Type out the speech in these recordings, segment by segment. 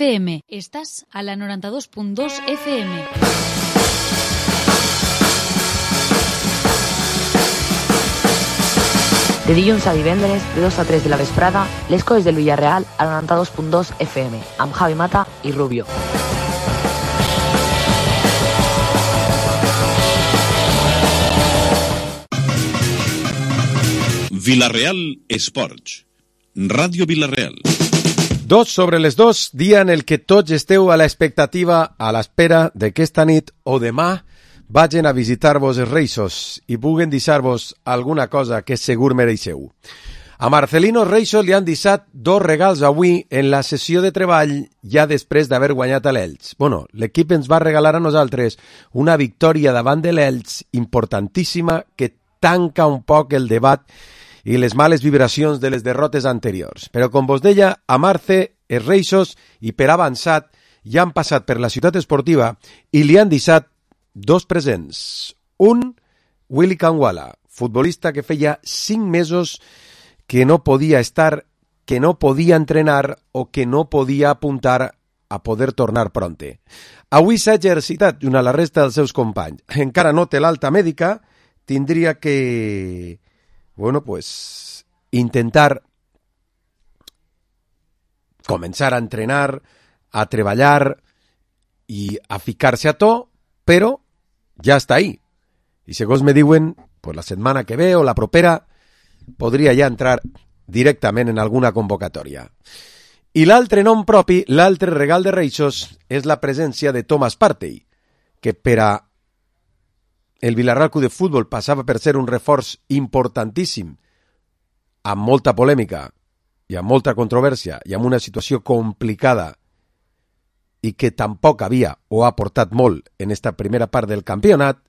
FM. Estàs a la 92.2 FM. De dilluns a divendres, de 2 a 3 de la vesprada, les coses del Villarreal a la 92.2 FM, amb Javi Mata i Rubio. Villarreal Esports. Ràdio Villarreal. 2:02, dia en el que tots esteu a l'expectativa, a l'espera de que esta nit o demà vagin a visitar-vos els Reixos i puguen deixar-vos alguna cosa que segur mereixeu. A Marcelino Reixos li han deixat 2 regals avui en la sessió de treball ja després d'haver guanyat a l'Elx. Bueno, l'equip ens va regalar a nosaltres una victòria davant de l'Elx importantíssima que tanca un poc el debat i les males vibracions de les derrotes anteriors. Però, com vos deia, a Marce, els Reixos i per avançat ja han passat per la ciutat esportiva i li han deixat 2 presents. Un, Willy Kangwala, futbolista que feia 5 mesos que no podia estar, que no podia entrenar o que no podia apuntar a poder tornar pronte. Avui s'ha exercitat junt a la resta dels seus companys. Encara no té l'alta mèdica, tindria que, bueno, pues, intentar començar a entrenar, a treballar i a ficar-se a to, però ja està ahí. I segons me diuen, pues la setmana que ve o la propera podria ja entrar directament en alguna convocatòria. I l'altre nom propi, l'altre regal de Reixos, és la presència de Thomas Partey, que per a el Villarreal Club de Futbol passava per ser un reforç importantíssim, amb molta polèmica i amb molta controvèrsia i amb una situació complicada i que tampoc havia o ha aportat molt en esta primera part del campionat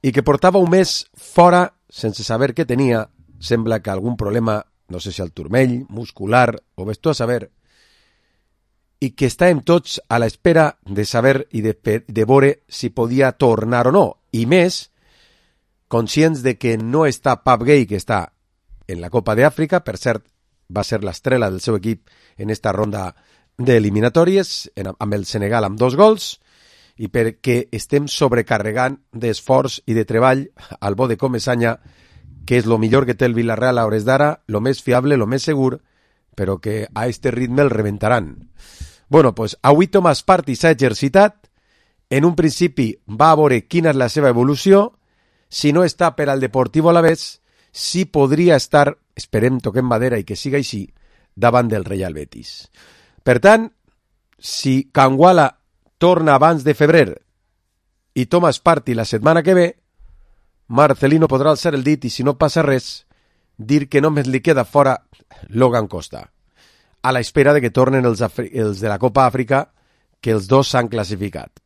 i que portava un mes fora sense saber què tenia, sembla que algun problema, no sé si al turmell, muscular o ves tu a saber, i que estàvem tots a l'espera de saber i de veure si podia tornar o no, i més, conscients de que no està Pape Gueye, que està en la Copa d'Àfrica, per cert, va ser l'estrela del seu equip en esta ronda d'eliminatòries, amb el Senegal amb 2 gols, i perquè estem sobrecarregant d'esforç i de treball al bo de Comesaña, que és lo millor que té el Villarreal a hores d'ara, lo més fiable, lo més segur, però que a este ritme el rebentaran. Bueno, pues avui Thomas Partey s'ha exercitat, en un principi va a veure quina és la seva evolució, si no està per al Deportivo Alavés, si podria estar, esperem, toquem madera i que siga així, davant del Real Betis. Per tant, si Kangwala torna abans de febrer i Thomas Partey la setmana que ve, Marcelino podrà alçar el dit i, si no passa res, dir que només li queda fora Logan Costa, a l'espera de que tornen els de la Copa Àfrica, que els 2 s'han classificat.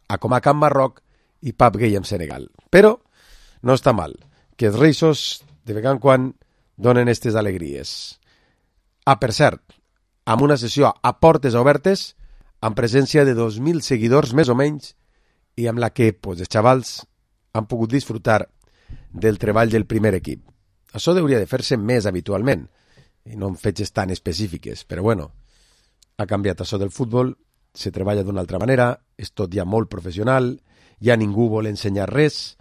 Acomac amb Marroc i Pape Gueye amb Senegal. Però no està mal que els Reixos de vegada en quan donen aquestes alegries. Per cert, amb una sessió a portes obertes, amb presència de 2.000 seguidors més o menys, i amb la que pues, els xavals han pogut disfrutar del treball del primer equip. Això hauria de fer-se més habitualment, i no en fetges tan específiques, però bueno, ha canviat això del futbol, se treballa d'una altra manera, és tot ja molt professional, ja ningú vol ensenyar res,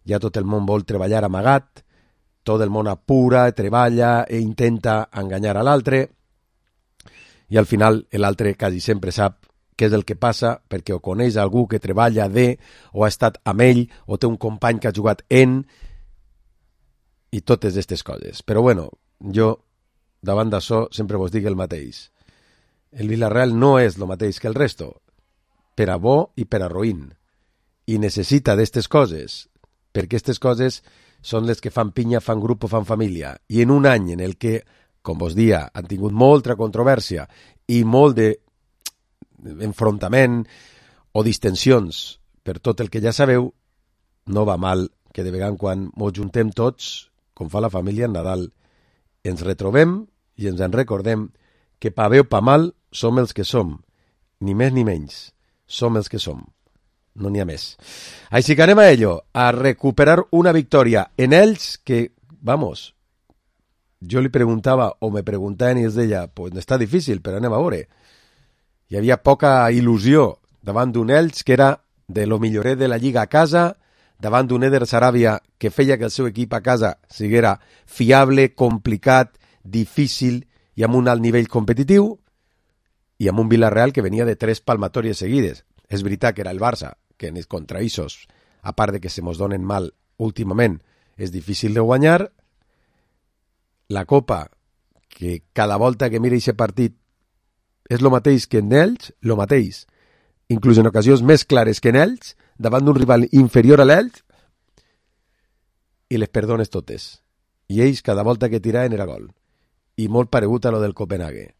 ja tot el món vol treballar amagat, tot el món apura, treballa i intenta enganyar a l'altre, i al final l'altre quasi sempre sap què és el que passa perquè o coneix algú que treballa o ha estat amb ell, o té un company que ha jugat i totes aquestes coses. Però bueno, jo davant d'això sempre vos dic el mateix. El Villarreal no és el mateix que el resto, per a bo i per a roïn, i necessita d'aquestes coses, perquè aquestes coses són les que fan pinya, fan grup o fan família, i en un any en el que, com vos dia, han tingut molta controvèrsia i molt d'enfrontament o distensions per tot el que ja sabeu, no va mal que de vegada en quan mos juntem tots, com fa la família en Nadal, ens retrobem i ens en recordem que pa bé o pa mal som els que som, ni més ni menys, som els que som. No n'hi ha més. Així que anem a ello, a recuperar una victòria en ells que, jo li preguntava, o me preguntaven i es deia, pues està difícil, però anem a veure. Hi havia poca il·lusió davant d'un Elx que era de lo milloret de la Lliga a casa, davant d'un Eder Sarabia que feia que el seu equip a casa siguera fiable, complicat, difícil i amb un alt nivell competitiu, i amb un Villarreal que venia de 3 palmatòries seguides. És veritat que era el Barça, que en els contraïssos, a part de que se mos donen mal últimament, és difícil de guanyar. La Copa, que cada volta que mira aquest partit és el mateix que en ells, el mateix, inclús en ocasions més clares que en ells, davant d'un rival inferior a l'ells, i les perdones totes. I ells cada volta que tiraven era gol. I molt paregut a lo del Copenhague.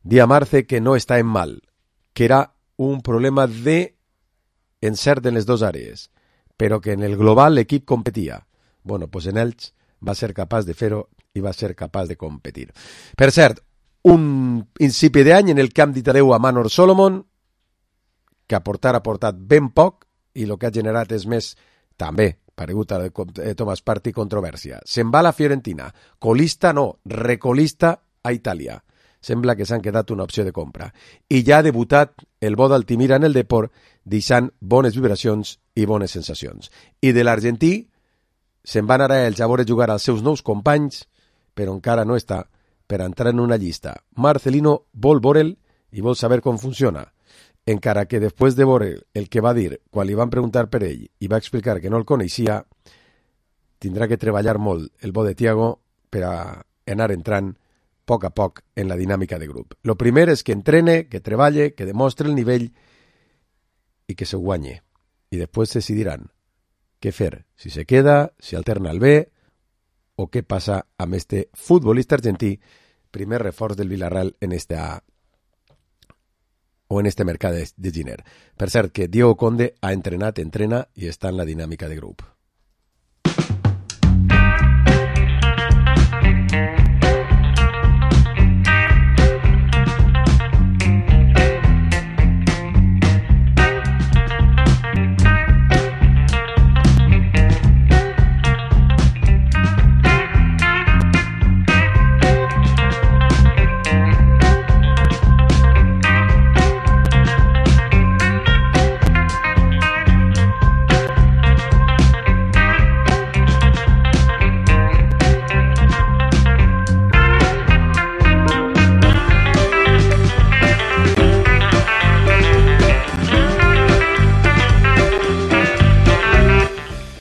Dia Marce que no està en mal, que era un problema de encert en les dues àrees, però que en el global l'equip competia. Bueno, pues en ells va ser capaç de fer-ho i va ser capaç de competir. Per cert, un principi d'any en el camp dit adeu a Manor Solomon, que ha portat ben poc, i el que ha generat és més, també, paregut a Thomas Partey, controvèrsia. Se'n va a la Fiorentina, colista no, recolista a Itàlia. Sembla que s'han quedat una opció de compra. I ja ha debutat el bo d'Altimira en el Depor, deixant bones vibracions i bones sensacions. I de l'argentí, se'n van ara ells a veure jugar als seus nous companys, però encara no està per entrar en una llista. Marcelino vol veure'l i vol saber com funciona. Encara que després de veure el que va dir quan li van preguntar per ell i va explicar que no el coneixia, tindrà que treballar molt el bo de Thiago per a anar entrant a poc en la dinàmica de grup. Lo primer és que entrene, que treballe, que demostre el nivell i que se guanye. I després decidiran què fer, si se queda, si alterna el B o què passa amb este futbolista argentí, primer reforç del Villarreal en este mercat de Giner. Per cert, que Diego Conde ha entrenat, entrena i està en la dinàmica de grup.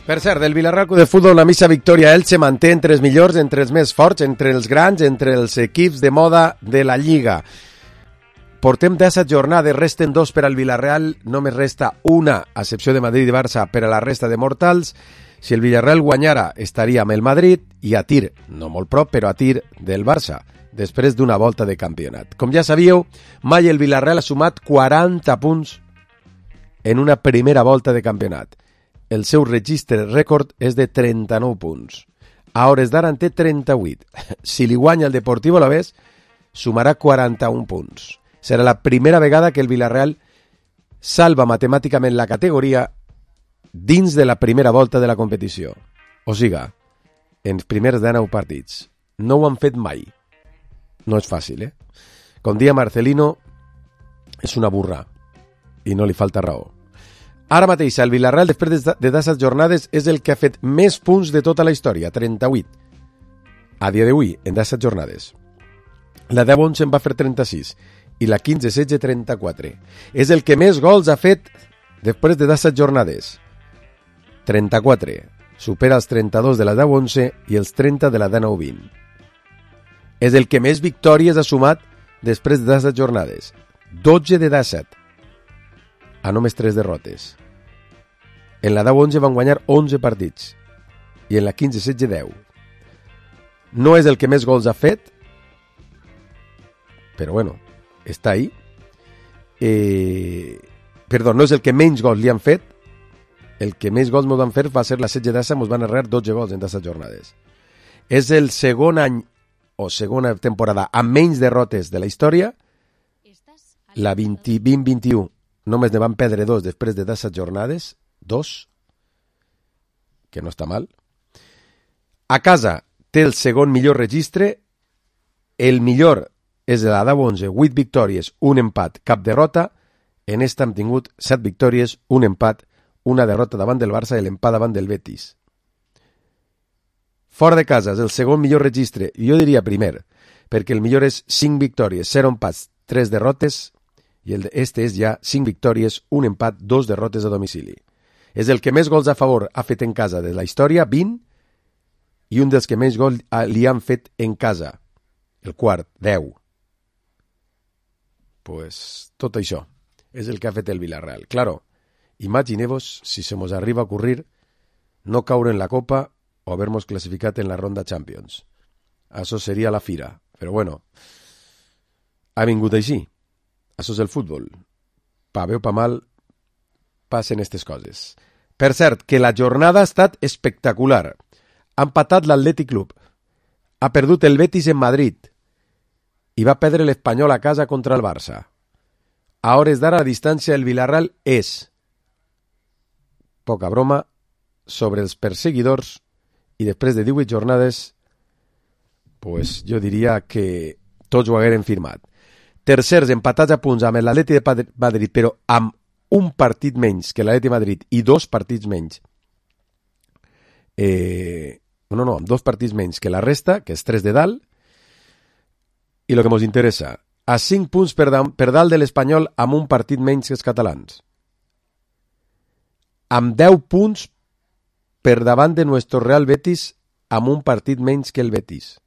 Per cert, del Villarreal de Futbol, la missa victòria Elche manté entre els millors, entre els més forts, entre els grans, entre els equips de moda de la Lliga. Portem 17 jornades, resten 2 per al Villarreal, només resta una, a excepció de Madrid i Barça, per a la resta de mortals. Si el Villarreal guanyara, estaria amb el Madrid i a tir, no molt prop, però a tir del Barça, després d'una volta de campionat. Com ja sabíeu, mai el Villarreal ha sumat 40 punts en una primera volta de campionat. El seu registre rècord és de 39 punts. A hores d'ara en té 38. Si li guanya el Deportivo Alavés, sumarà 41 punts. Serà la primera vegada que el Villarreal salva matemàticament la categoria dins de la primera volta de la competició. O siga, en els primers 19 partits. No ho han fet mai. No és fàcil, Com dia Marcelino, és una burra. I no li falta raó. Ara mateix, el Villarreal, després de 17 jornades, és el que ha fet més punts de tota la història, 38. A dia d'avui, en 17 jornades. La 10-11 en va fer 36 i la 15-16, 34. És el que més gols ha fet després de 17 jornades. 34. Supera els 32 de la 10-11 i els 30 de la 19-20. És el que més victòries ha sumat després de 17 jornades. 12 de 17. A només 3 derrotes. En la 10-11 van guanyar 11 partits i en la 15-16 10. No és el que més gols ha fet, però bueno, està ahí. No és el que menys gols li han fet. El que més gols ens van fer va ser la 16 d'Assa, ens van errar 12 gols en 17 jornades. És el segon any o segona temporada amb menys derrotes de la història. La 20-21 només ne van perdre 2 després de 17 jornades, 2, que no està mal. A casa té el segon millor registre, el millor és de la 10-11, 8 victòries, un empat, cap derrota. En esta hem tingut 7 victòries, un empat, una derrota davant del Barça i l'empat davant del Betis. Fora de casa és el segon millor registre, jo diria primer, perquè el millor és 5 victòries, 0 empats, 3 derrotes, i este és ja 5 victòries, un empat, 2 derrotes a domicili. És el que més gols a favor ha fet en casa de la història, 20, i un dels que més gols li han fet en casa, el quart, 10. Pues tot això és el que ha fet el Villarreal. Claro, imagineu-vos si se mos arriba a ocurrir no caure en la Copa o haver-nos classificat en la ronda Champions. Això seria la fira. Però bueno, ha vingut així. Això és el futbol. Pa bé o pa mal, passen aquestes coses. Per cert, que la jornada ha estat espectacular. Ha empatat l'Atlètic Club. Ha perdut el Betis en Madrid. I va perdre l'Espanyol a casa contra el Barça. A hores d'ara, la distància del Villarreal és, poca broma, sobre els perseguidors, i després de 18 jornades, pues jo diria que tots ho hagueren firmat. Tercers empatats a punts amb l'Atlètic de Madrid, però amb un partit menys que l'Atlètic de Madrid i 2 partits menys. Amb 2 partits menys que la resta, que és 3 de dalt. I el que ens interessa, a 5 punts per dalt de l'Espanyol amb un partit menys que els catalans. Amb 10 punts per davant de nuestro Real Betis amb un partit menys que el Betis.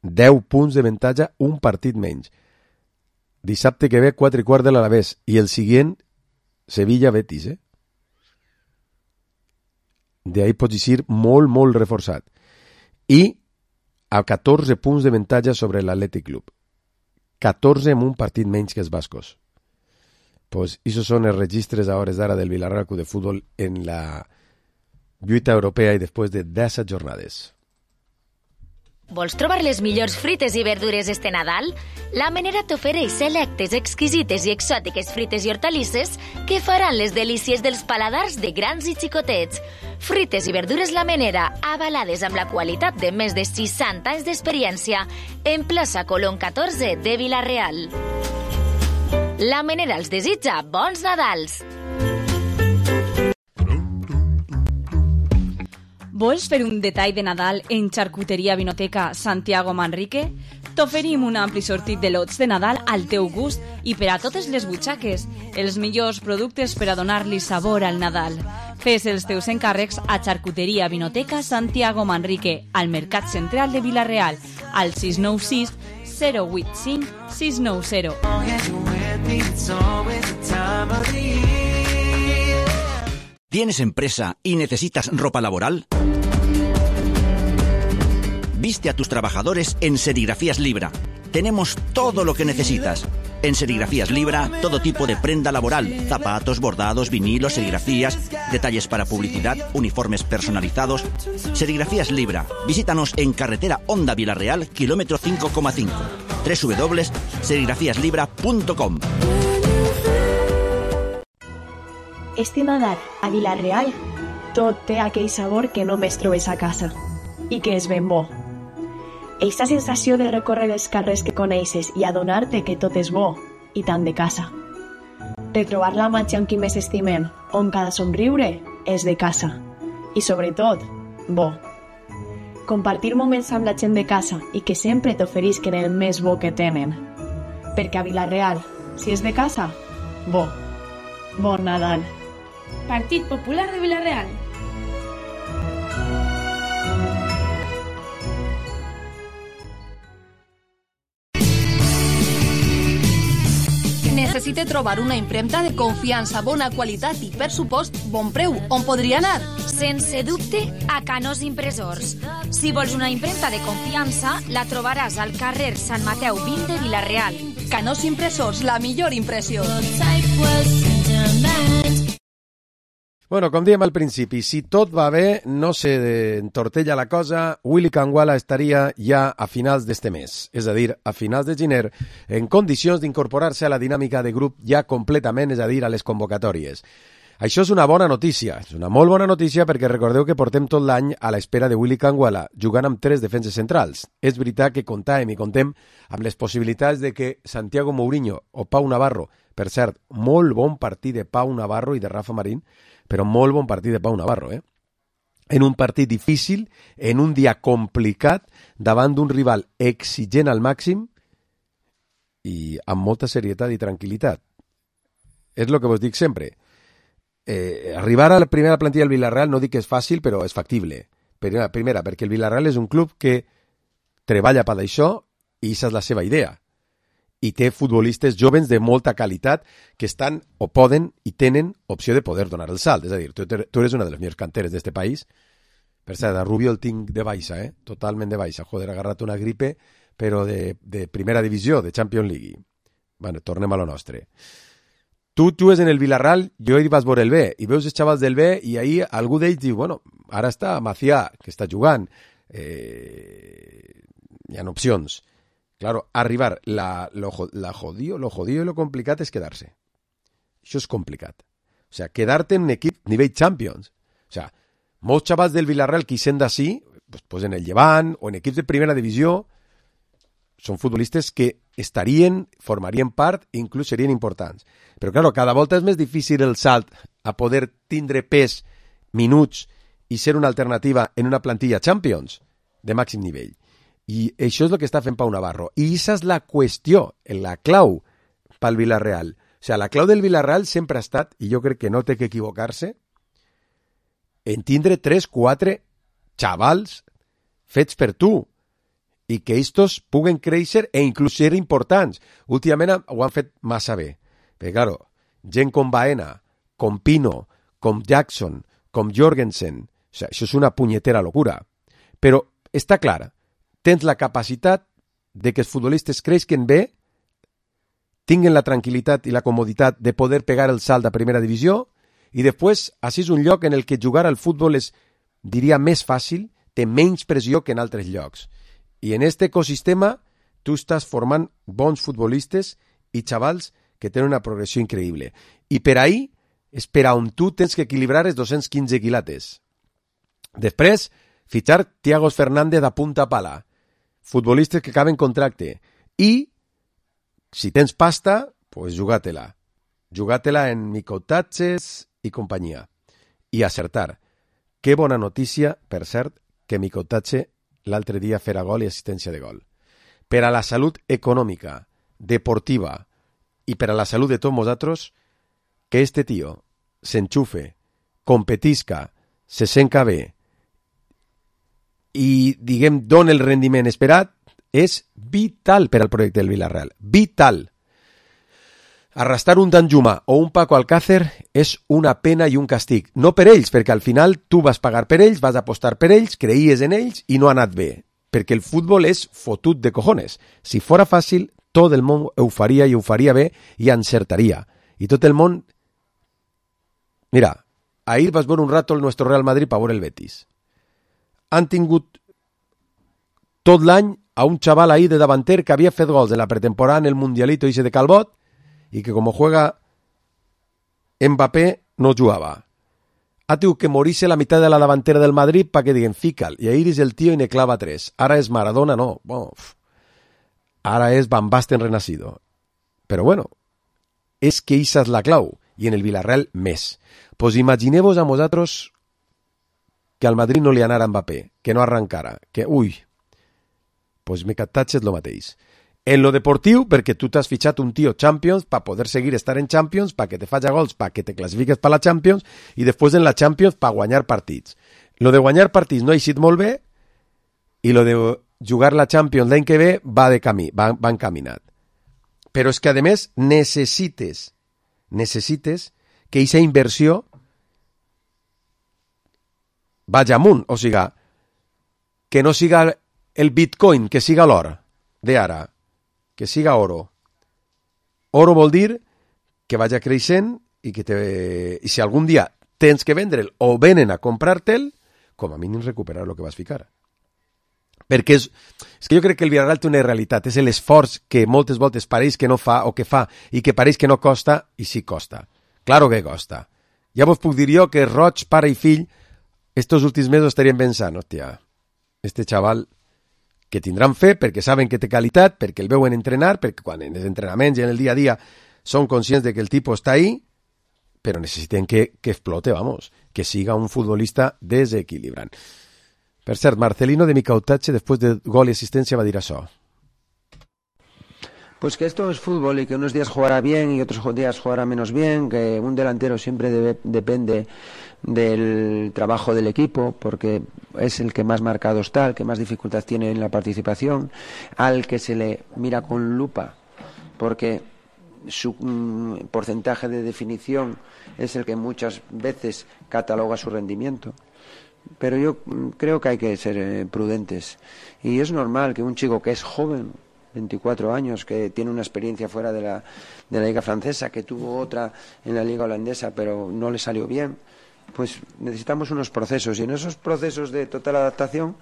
10 punts de avantatge, un partit menys. Dissabte que ve 4:15 de l'Alavés i el següent Sevilla-Betis, De ahí pots dir molt, molt reforçat. I a 14 punts d'avantatge sobre l'Atlètic Club. 14 amb un partit menys que els bascos. Pues esos són els registres a hores d'ara del Villarreal Club de Futbol en la lluita europea i després de 10 jornades. Vols trobar les millors fruites i verdures este Nadal? La Menera t'ofereix selectes, exquisites i exòtiques fruites i hortalisses que faran les delícies dels paladars de grans i xicotets. Fruites i verdures La Menera, avalades amb la qualitat de més de 60 anys d'experiència, en plaça Colón 14 de Vila-real. La Menera els desitja bons Nadals! Vols fer un detall de Nadal en Xarcuteria Vinoteca Santiago Manrique? T'oferim un ampli sortit de lots de Nadal al teu gust i per a totes les butxaques, els millors productes per a donar-li sabor al Nadal. Fes els teus encàrrecs a Xarcuteria Vinoteca Santiago Manrique, al Mercat Central de Vila-real, al 696 085 690. ¿Tienes empresa y necesitas ropa laboral? Viste a tus trabajadores en Serigrafías Libra. Tenemos todo lo que necesitas. En Serigrafías Libra, todo tipo de prenda laboral, zapatos, bordados, vinilos, serigrafías, detalles para publicidad, uniformes personalizados. Serigrafías Libra. Visítanos en carretera Honda Vila-real, kilómetro 5,5. www.serigrafiaslibra.com. Este Nadal, a Vila-real, tot té aquell sabor que només trobes a casa i que és ben bo. Eixa sensació de recórrer els carrers que coneixes i adonar-te que tot és bo i tant de casa. Retrobar la màgia amb qui més estimem, on cada somriure és de casa. I sobretot, bo. Compartir moments amb la gent de casa i que sempre t'oferisquen el més bo que tenen. Perquè a Vila-real, si és de casa, bo. Bon Nadal. Partit Popular de Vila-real. Necessite trobar una impremta de confiança, bona qualitat i, per supost, bon preu. On podria anar? Sense dubte, a Canós Impressors. Si vols una impremta de confiança, la trobaràs al carrer Sant Mateu 20 de Vila-real. Canós Impressors, la millor impressió. Bueno, com dèiem al principi, si tot va bé, no se entortella la cosa, Willy Canguala estaria ja a finals d'este mes, és a dir, a finals de gener, en condicions d'incorporar-se a la dinàmica de grup ja completament, és a dir, a les convocatòries. Això és una bona notícia, és una molt bona notícia perquè recordeu que portem tot l'any a l'espera de Willy Canguala, jugant amb 3 defenses centrals. És veritat que contem amb les possibilitats de que Santiago Mourinho o Pau Navarro, per cert, molt bon partit de Pau Navarro i de Rafa Marín, però molt bon partit de Pau Navarro, en un partit difícil, en un dia complicat, davant d'un rival exigent al màxim i amb molta serietat i tranquil·litat. És el que vos dic sempre. Arribar a la primera plantilla del Villarreal no dic que és fàcil, però és factible. Primera, perquè el Villarreal és un club que treballa per això i aquesta és la seva idea. I té futbolistes jovens de molta qualitat que estan o poden i tenen opció de poder donar el salt. És a dir, tu eres una de les millors canteres d'este país. Per cert, a Rubio el tinc de baixa, totalment de baixa. Joder, ha agarrat una gripe, però de primera divisió, de Champions League. Bueno, tornem a lo nostre. Tu jugues en el Villarreal, jo hi vas veure el B, i veus els xavals del B, i ahir algú d'ells diu, bueno, ara està Macià, que està jugant, hi ha opcions. Claro, arribar, lo jodido y lo complicat és quedar-se. Això és complicat. O sea, quedar-te en un equip nivell Champions. O sea, molts xavals del Villarreal que hi sent d'ací, pues en el Llevant o en equips de primera divisió, són futbolistes que formarien part i inclús serien importants. Però, claro, cada volta és més difícil el salt a poder tindre pes, minuts i ser una alternativa en una plantilla Champions de màxim nivell. I això és el que està fent Pau Navarro. I aquesta és la qüestió, la clau pel Villarreal. O sigui, la clau del Villarreal sempre ha estat, i jo crec que no té que equivocar-se, en tindre 3-4 xavals fets per tu, i que estos puguen créixer e inclús ser importants. Últimament ho han fet massa bé. Perquè, claro, gent com Baena, com Pino, com Jackson, com Jorgensen, o sea, això és una punyetera locura. Però està clar, tens la capacitat de que els futbolistes creixen bé, tinguen la tranquil·litat i la comoditat de poder pegar el salt a primera divisió i després, així és un lloc en el que jugar al futbol és, diria, més fàcil, té menys pressió que en altres llocs. I en aquest ecosistema tu estàs formant bons futbolistes i xavals que tenen una progressió increïble. I per ahí és per on tu tens que equilibrar els 215 quilates. Després, fitxar Thiago Fernández a punta pala, futbolistes que acaben contracte. I, si tens pasta, pues jugatela. Jugatela en micottatges i companyia. I acertar. Que bona notícia, per cert, que micottatge l'altre dia farà gol i assistència de gol. Per a la salut econòmica, deportiva i per a la salut de tots nosaltres, que este tio s'enxufe, competisca, se senca bé i, diguem, dona el rendiment esperat, és vital per al projecte del Villarreal. Vital. Arrastrar un Danjuma o un Paco Alcácer és una pena i un castig. No per ells, perquè al final tu vas pagar per ells, vas apostar per ells, creies en ells i no ha anat bé. Perquè el futbol és fotut de cojones. Si fora fàcil, tot el món ho faria i ho faria bé i encertaria. I tot el món... Mira, ahir vas veure un rato el nostre Real Madrid per veure el Betis. Han tingut tot l'any a un xaval ahir de davanter que havia fet gols en la pretemporada en el Mundialito ese de Calbot y que como juega Mbappé no jugaba. Ha tingut que morirse la mitad de la davantera del Madrid para que diguen fica'l. I ahir és el tio i ne clava 3. Ara és Maradona, no. Bueno, ara és Van Basten renacido. Però bueno, és que esa és la clau. I en el Villarreal més. Pues imagineu-vos a vosaltres que al Madrid no li anara Mbappé, que no arrancara, que, ui, pues micottatge és lo mateix. En lo deportiu, perquè tu t'has fitxat un tio Champions per poder seguir estar en Champions, perquè te faci gols, perquè te classifiques per la Champions, i després en la Champions per guanyar partits. Lo de guanyar partits no ha eixit molt bé, i lo de jugar la Champions l'any que ve va encaminat. Però és que, a més, necessites que aquesta inversió vagi amunt, o sigui, que no siga el Bitcoin, que siga l'or d'ara, que siga oro. Oro vol dir que vagi creixent i i si algun dia tens que vendre'l o venen a comprar-te'l, com a mínim recuperar el que vas ficar. Perquè és que jo crec que el Villarreal té una realitat, és l'esforç que moltes voltes pareix que no fa o que fa i que pareix que no costa i sí costa. Claro que costa. Ja vos puc dir jo que Roig, pare i fill, estos últims mesos estarien pensant, hòstia, este xaval que tindran fe perquè saben que té qualitat, perquè el veuen entrenar, perquè quan en els entrenaments i en el dia a dia són conscients de que el tipus està ahí, però necessiten que explote, vamos, que siga un futbolista desequilibrant. Per cert, Marcelino de Micautache, després de gol y asistencia, va a dir això. Pues que esto es fútbol y que unos días jugará bien y otros días jugará menos bien, que un delantero siempre depende del trabajo del equipo, porque es el que más marcado está, el que más dificultad tiene en la participación, al que se le mira con lupa, porque su porcentaje de definición es el que muchas veces cataloga su rendimiento. Pero yo creo que hay que ser prudentes, y es normal que un chico que es joven, 24 años, que tiene una experiencia fuera de la liga francesa, que tuvo otra en la liga holandesa pero no le salió bien, pues necesitamos unos procesos, y en esos procesos de total adaptación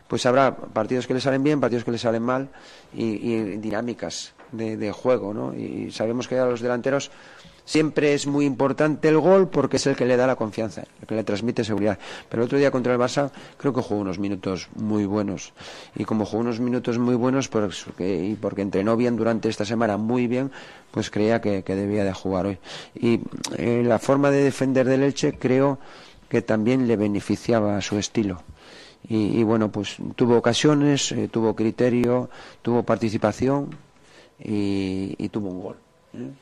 pues habrá partidos que le salen bien, partidos que le salen mal, y dinámicas de juego, ¿no? Y sabemos que a los delanteros siempre es muy importante el gol, porque es el que le da la confianza, el que le transmite seguridad. Pero el otro día contra el Barça creo que jugó unos minutos muy buenos, y como jugó unos minutos muy buenos y porque entrenó bien durante esta semana, muy bien, pues creía que debía de jugar hoy. Y la forma de defender del Elche creo que también le beneficiaba a su estilo. Y bueno, pues tuvo ocasiones, tuvo criterio, tuvo participación y tuvo un gol.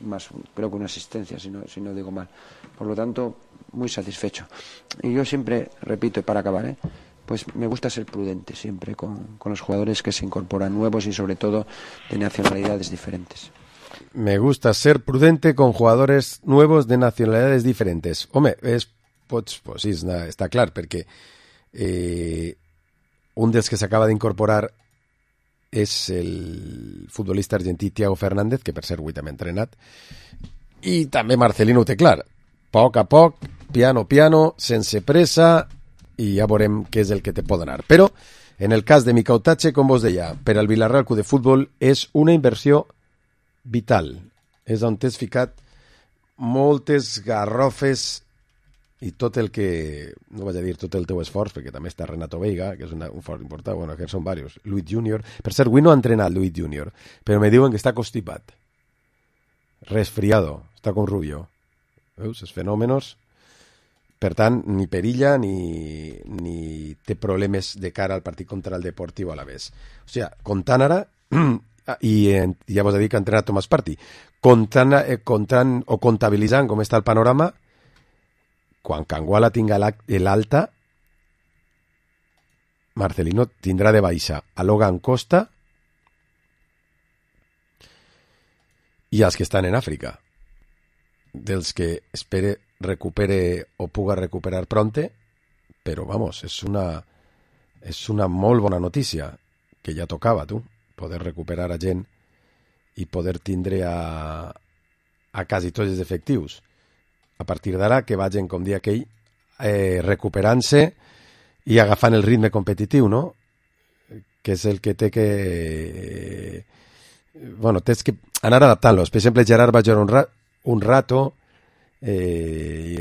Más creo que una asistencia, si no digo mal. Por lo tanto, muy satisfecho. Y yo siempre repito, para acabar, pues me gusta ser prudente siempre con los jugadores que se incorporan nuevos y sobre todo de nacionalidades diferentes. Me gusta ser prudente con jugadores nuevos de nacionalidades diferentes. Home, pues sí, està clar, perquè un dels que s'acaba d'incorporar és el futbolista argentí Thiago Fernández, que per cert avui també ha entrenat, i també Marcelino ho té clar. Poc a poc, piano, sense pressa, i ja veurem què és el que te pot anar. Però, en el cas de Micautache, com vos deia, per al Villarreal Club de Futbol és una inversió vital. És on t'has ficat moltes garrofes i tot el que, no vaig a dir tot el teu esforç, perquè també està Renato Veiga, que és un fort important, bueno, que són diversos, Luis Junior, per cert, avui no ha entrenat Luis Junior, però me diuen que està constipat, resfriado, està con Rubio, veus, els fenòmenos, per tant, ni perilla ni té problemes de cara al partit contra el Deportivo Alavés. O sigui, comptant ara, i ja vos he dit que ha entrenat Tomàs Partí, comptant o comptabilitzant com està el panorama, quan Canguala tinga l'alta, Marcelino tindrà de baixa a Logan Costa i els que estan en Àfrica, dels que espere recupere o puga recuperar pronte, però vamos, és una molt bona notícia, que ja tocava, tu, poder recuperar a gent i poder tindre a quasi tots els efectius. A partir d'ara que vagin, com dia aquell, recuperant-se i agafant el ritme competitiu, no? Que és el que té que... Bueno, tens que anar adaptant-los. Per exemple, Gerard va jugar un rato i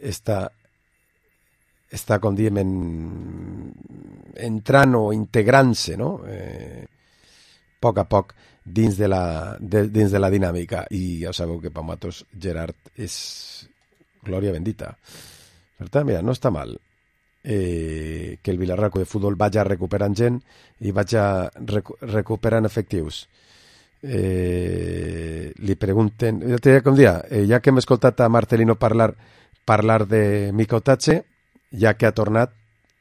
està com diem, entrant o integrant-se, no? Poc a poc dins de la dinàmica, i ja sabeu que per nosaltres Gerard és glòria bendita. Per tant, mira, no està mal que el Villarreal de Futbol vagi recuperant gent i vagi recuperant efectius. Li pregunten, com dia, ja que hem escoltat a Marcelino parlar de Micautache, ja que ha tornat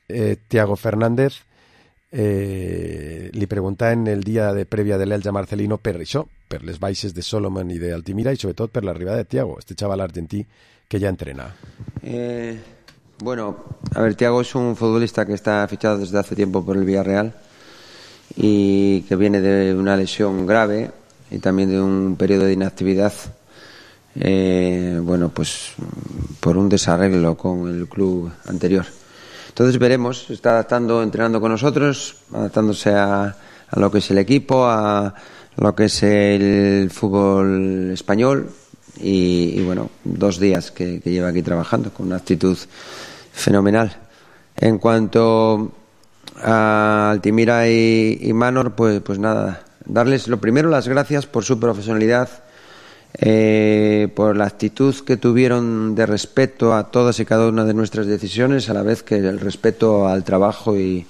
Thiago Fernández, li preguntaven el dia de prèvia de l'Elx a Marcelino per això, per les baixes de Solomon i d'Altimira, i sobretot per l'arribada de Thiago, este chaval argentí que ya entrena. Bueno, a ver, Thiago es un futbolista que está fichado desde hace tiempo por el Villarreal y que viene de una lesión grave y también de un periodo de inactividad, bueno, pues por un desarreglo con el club anterior. Entonces veremos, se está adaptando, entrenando con nosotros, adaptándose a lo que es el equipo, a lo que es el fútbol español, y bueno, 2 días que lleva aquí trabajando con una actitud fenomenal. En cuanto a Altimira y Manor, pues nada, darles lo primero las gracias por su profesionalidad, por la actitud que tuvieron de respeto a todas y cada una de nuestras decisiones, a la vez que el respeto al trabajo y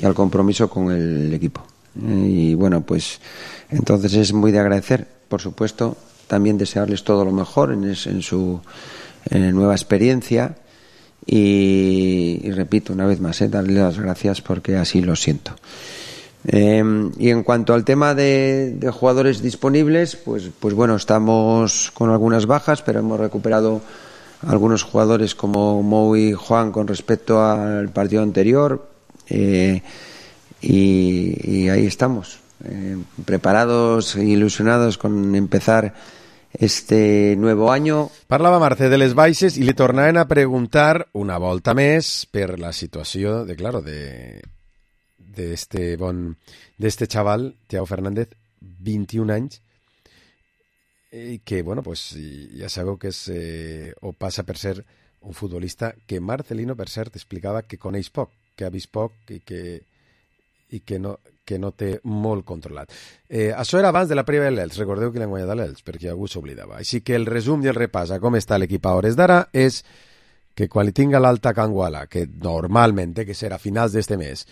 al compromiso con el equipo. Y bueno, pues entonces es muy de agradecer, por supuesto, también desearles todo lo mejor en su nueva experiencia y repito una vez más, darles las gracias porque así lo siento. Y en cuanto al tema de jugadores disponibles, pues bueno, estamos con algunas bajas, pero hemos recuperado algunos jugadores como Mou y Juan con respecto al partido anterior, y ahí estamos, preparados e ilusionados con empezar este nuevo año. Parlava Mercè de les baixes i li tornaven a preguntar una volta més per la situació d'este xaval, Thiago Fernández, 21 anys, i que, bueno, pues ja sabeu que és o passa per ser un futbolista que Marcelino, per cert, explicava que coneix poc, que ha vist poc i que no té molt controlat. Això era abans de la prèvia de l'Elx. Recordeu que l'han guanyat a l'Elx, perquè algú s'oblidava. Així que el resum i el repàs a com està l'equip a hores d'ara és que quan li tinga l'alta Canguala, que normalment té que ser a finals d'este mes,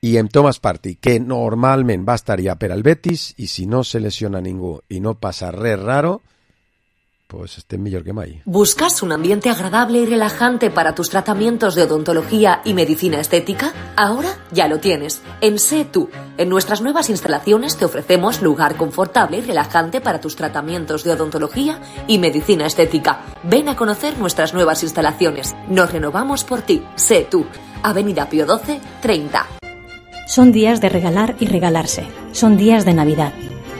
i amb Thomas Partey, que normalment va estar ja per al Betis, i si no se lesiona ningú i no passa res raro, pues estem millor que mai. ¿Buscas un ambiente agradable y relajante para tus tratamientos de odontología y medicina estética? Ahora ya lo tienes. En Sé Tú. En nuestras nuevas instalaciones te ofrecemos lugar confortable y relajante para tus tratamientos de odontología y medicina estética. Ven a conocer nuestras nuevas instalaciones. Nos renovamos por ti. Sé Tú. Avenida Pío XII, 30. Son días de regalar y regalarse. Son días de Navidad.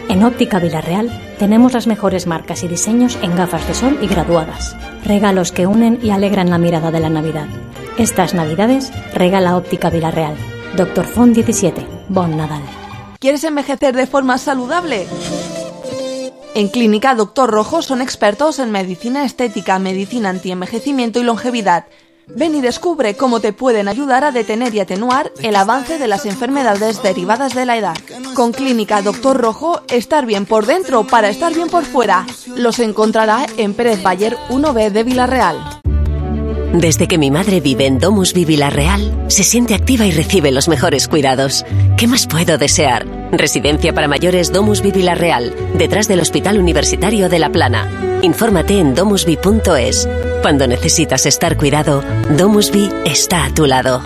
En Óptica Villarreal tenemos las mejores marcas y diseños en gafas de sol y graduadas. Regalos que unen y alegran la mirada de la Navidad. Estas Navidades regala Óptica Villarreal. Dr. Font 17. Bon Nadal. ¿Quieres envejecer de forma saludable? En Clínica Dr. Rojo son expertos en medicina estética, medicina antienvejecimiento y longevidad. Ven y descubre cómo te pueden ayudar a detener y atenuar el avance de las enfermedades derivadas de la edad. Con Clínica Dr. Rojo, estar bien por dentro para estar bien por fuera. Los encontrará en Pérez Bayer 1B de Villarreal. Desde que mi madre vive en Domusvi Villarreal, se siente activa y recibe los mejores cuidados. ¿Qué más puedo desear? Residencia para mayores Domusvi Villarreal, detrás del Hospital Universitario de La Plana. Infórmate en domusvi.es. Cuando necesitas estar cuidado, Domusvi está a tu lado.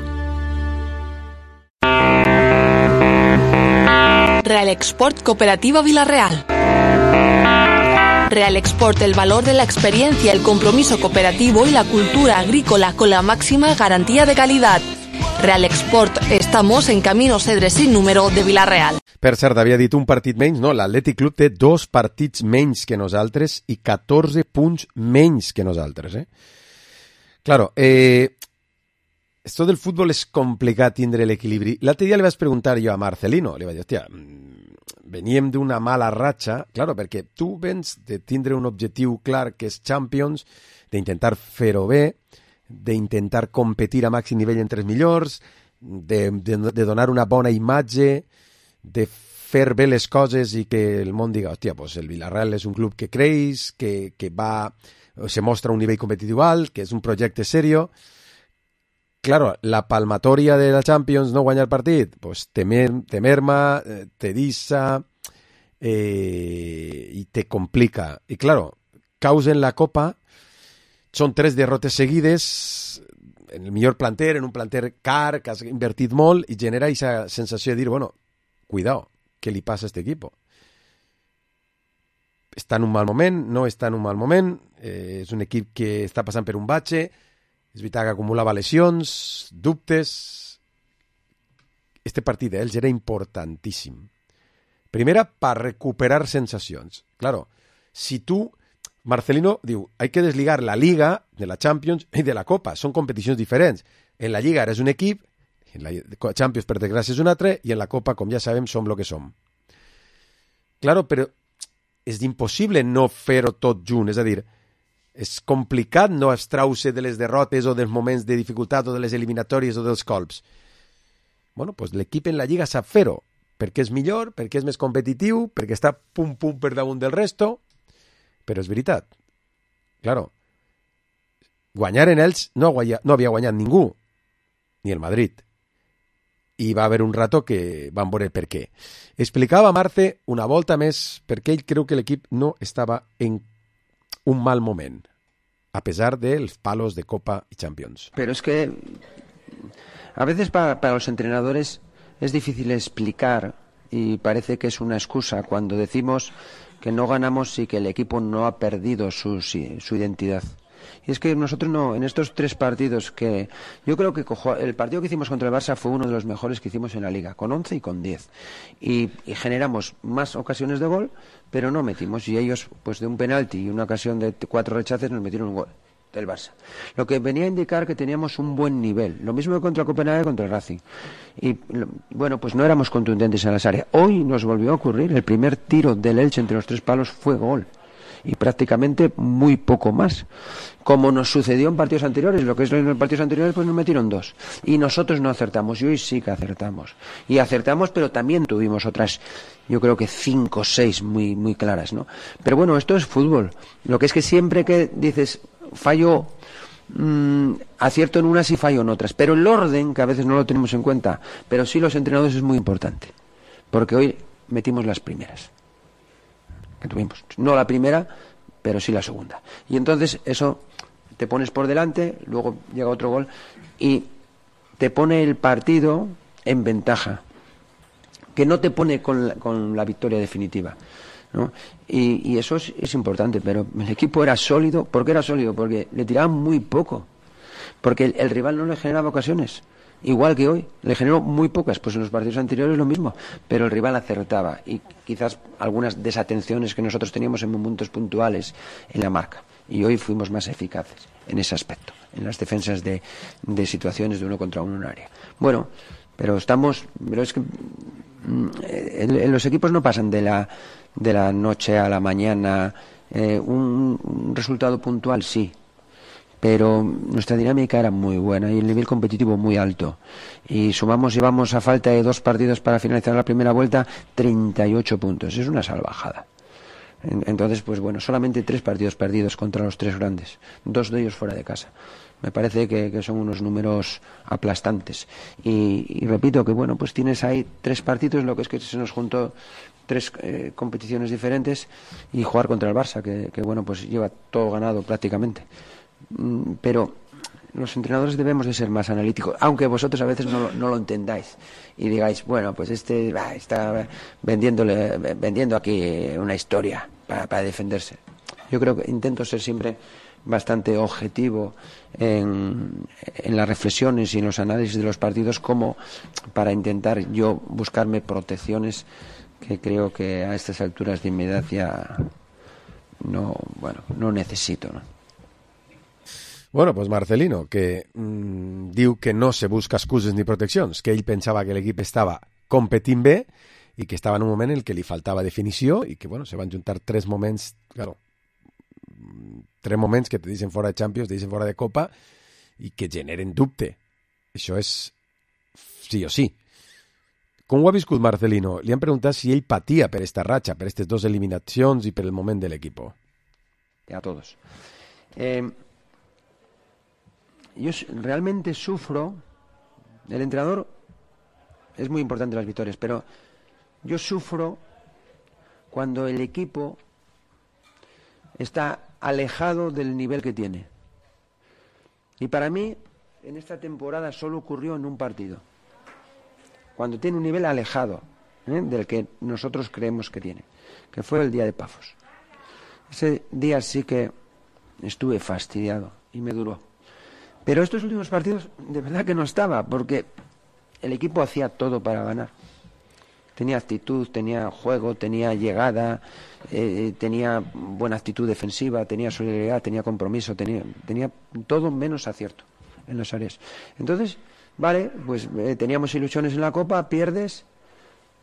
Real Export Cooperativa Villarreal. Real Export, el valor de la experiencia, el compromiso cooperativo y la cultura agrícola con la máxima garantía de calidad. Real Export, estamos en Camino Cedres sin número de Villarreal. Per cert, havia dit un partit menys, no, l'Atlètic Club té 2 partits menys que nosaltres i 14 punts menys que nosaltres, Claro, esto del fútbol és complicat tindre l'equilibri. L'altre dia li vaig preguntar jo a Marcelino, li vaig dir, hòstia, veníem d'una mala ratxa, claro, perquè tu vens de tindre un objectiu clar que és Champions, d'intentar fer-ho bé, d'intentar competir a màxim nivell entre els millors, de donar una bona imatge, de fer bé les coses i que el món diga, hòstia, pues el Villarreal és un club que creix, que va, se mostra un nivell competitiu alt, que és un projecte serio. Claro, la palmatòria de la Champions no guanya el partit, pues te merma, te dissa i te complica. I claro, causa en la Copa són 3 derrotes seguides en el millor planter, en un planter car, que has invertit molt, i genera aquesta sensació de dir, bueno, cuidado, què li passa a este equipo? Està en un mal moment, no està en un mal moment, és un equip que està passant per un batxe, és veritat que acumulava lesions, dubtes. Este partit d'ells era importantíssim. Primera, per recuperar sensacions. Claro, si tu, Marcelino diu, hay que desligar la Liga de la Champions i de la Copa. Són competicions diferents. En la Lliga eres un equip, en la Champions, per desgràcia, és un altre, i en la Copa, com ja sabem, som lo que som. Claro, però és impossible no fer-ho tot junt, és a dir, és complicat no abstraure de les derrotes o dels moments de dificultat o de les eliminatòries o dels colps. Bueno, doncs l'equip en la Lliga sap fer-ho, perquè és millor, perquè és més competitiu, perquè està pum per damunt del resto, però és veritat. Claro, guanyar en ells no havia guanyat ningú, ni el Madrid. I va haver un rato que van veure per què. Explicava Marce una volta més perquè ell creu que l'equip no estava en un mal moment, a pesar dels palos de Copa y Champions. Pero es que a veces para los entrenadores es difícil explicar y parece que es una excusa cuando decimos que no ganamos y que el equipo no ha perdido su identidad. Y es que nosotros no, en estos 3 partidos que yo creo que el partido que hicimos contra el Barça fue uno de los mejores que hicimos en la Liga, con 11 y con 10. Y generamos más ocasiones de gol, pero no metimos. Y ellos, pues de un penalti y una ocasión de 4 rechaces, nos metieron un gol del Barça. Lo que venía a indicar que teníamos un buen nivel. Lo mismo que contra Copenhague y contra el Racing. Y bueno, pues no éramos contundentes en las áreas. Hoy nos volvió a ocurrir, el primer tiro del Elche entre los 3 palos fue gol. Y prácticamente muy poco más. Como nos sucedió en partidos anteriores, lo que es en los partidos anteriores, pues nos metieron 2. Y nosotros no acertamos, y hoy sí que acertamos. Y acertamos, pero también tuvimos otras, yo creo que 5 o 6 muy claras, ¿no? Pero bueno, esto es fútbol. Lo que es que siempre que dices, fallo, acierto en unas y fallo en otras. Pero el orden, que a veces no lo tenemos en cuenta, pero sí los entrenadores es muy importante. Porque hoy metimos las primeras que tuvimos. No la primera, pero sí la segunda. Y entonces eso te pones por delante, luego llega otro gol y te pone el partido en ventaja, que no te pone con la victoria definitiva, ¿no? Y eso es importante, pero el equipo era sólido. ¿Por qué era sólido? Porque le tiraban muy poco, porque el rival no le generaba ocasiones. Igual que hoy, le generó muy pocas, pues en los partidos anteriores lo mismo, pero el rival acertaba y quizás algunas desatenciones que nosotros teníamos en momentos puntuales en la marca. Y hoy fuimos más eficaces en ese aspecto, en las defensas de situaciones de 1 contra 1 en un área. Bueno, pero es que los equipos no pasan de la noche a la mañana, un resultado puntual sí. Pero nuestra dinámica era muy buena y el nivel competitivo muy alto. Y llevamos a falta de 2 partidos para finalizar la primera vuelta 38 puntos. Es una salvajada. Entonces, pues bueno, solamente 3 partidos perdidos contra los 3 grandes. 2 de ellos fuera de casa. Me parece que son unos números aplastantes. Y repito que bueno, pues tienes ahí 3 partidos, lo que es que se nos juntó 3 competiciones diferentes y jugar contra el Barça, que bueno, pues lleva todo ganado prácticamente. Pero los entrenadores debemos de ser más analíticos, aunque vosotros a veces no lo entendáis y digáis, bueno, pues está vendiendo aquí una historia para defenderse. Yo creo que intento ser siempre bastante objetivo en las reflexiones y en los análisis de los partidos, como para intentar yo buscarme protecciones que creo que a estas alturas de mi edad ya no necesito, ¿no? Bueno, pues Marcelino, que diu que no se busca excuses ni proteccions, que ell pensava que l'equip estava competint bé i que estava en un moment en què li faltava definició i que, bueno, se van juntar 3 moments, claro, 3 moments que te deixen fora de Champions, te deixen fora de Copa i que generen dubte. Això és sí o sí. Com ho ha viscut Marcelino? Li han preguntat si ell patia per esta ratxa, per aquestes 2 eliminacions i per el moment de l'equip. A todos. Yo realmente sufro. El entrenador es muy importante las victorias, pero yo sufro cuando el equipo está alejado del nivel que tiene. Y para mí, en esta temporada solo ocurrió en un partido, cuando tiene un nivel alejado del que nosotros creemos que tiene, que fue el día de Pafos. Ese día sí que estuve fastidiado y me duró. Pero estos últimos partidos de verdad que no estaba, porque el equipo hacía todo para ganar. Tenía actitud, tenía juego, tenía llegada, tenía buena actitud defensiva, tenía solidaridad, tenía compromiso, tenía todo menos acierto en las áreas. Entonces, vale, pues teníamos ilusiones en la Copa, pierdes,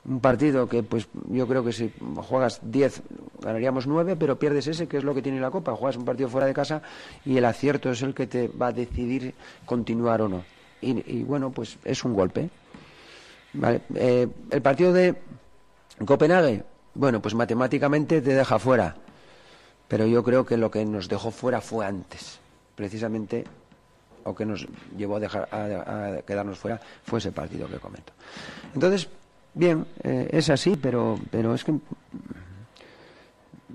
Un partido que pues yo creo que si juegas 10 ganaríamos 9, pero pierdes ese, que es lo que tiene la Copa. Juegas un partido fuera de casa y el acierto es el que te va a decidir continuar o no. Y bueno, pues es un golpe. Vale. El partido de Copenhague, bueno, pues matemáticamente te deja fuera, pero yo creo que lo que nos dejó fuera fue antes, precisamente, o que nos llevó a quedarnos fuera fue ese partido que comento. Entonces, bien, es así, pero es que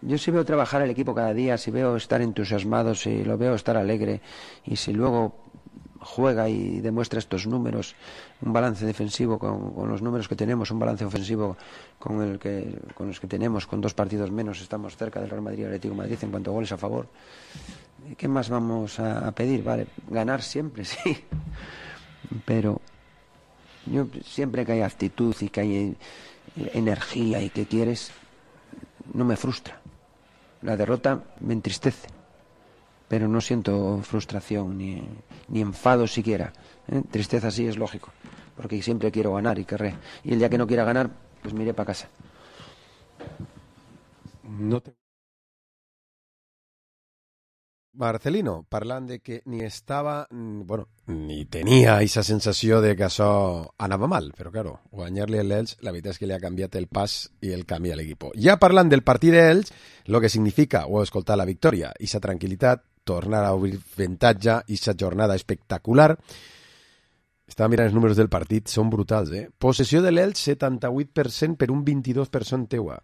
yo sí veo trabajar el equipo cada día, si veo estar entusiasmado, si lo veo estar alegre, y si luego juega y demuestra estos números, un balance defensivo con los números que tenemos, un balance ofensivo con los que tenemos, con 2 partidos menos, estamos cerca del Real Madrid y Atlético de Madrid en cuanto a goles a favor. ¿Qué más vamos a pedir? Vale, ganar siempre, sí, pero yo siempre que hay actitud y que hay energía y que quieres, no me frustra. La derrota me entristece, pero no siento frustración ni enfado siquiera. Tristeza sí es lógico, porque siempre quiero ganar y querré. Y el día que no quiera ganar, pues me iré para casa. Marcelino, parlant de que ni estava, bueno, ni tenia aquesta sensació de que això anava mal, però claro, guanyar-li a l'Elx, la veritat és que li ha canviat el pas i el camí a l'equip. Ja parlant del partit d'Elx, el que significa, o escoltar la victòria, i sa tranquil·litat, tornar a obrir avantatge, i sa jornada espectacular. Estava mirant els números del partit, són brutals, eh? Possessió de l'Elx, 78% per un 22% teua.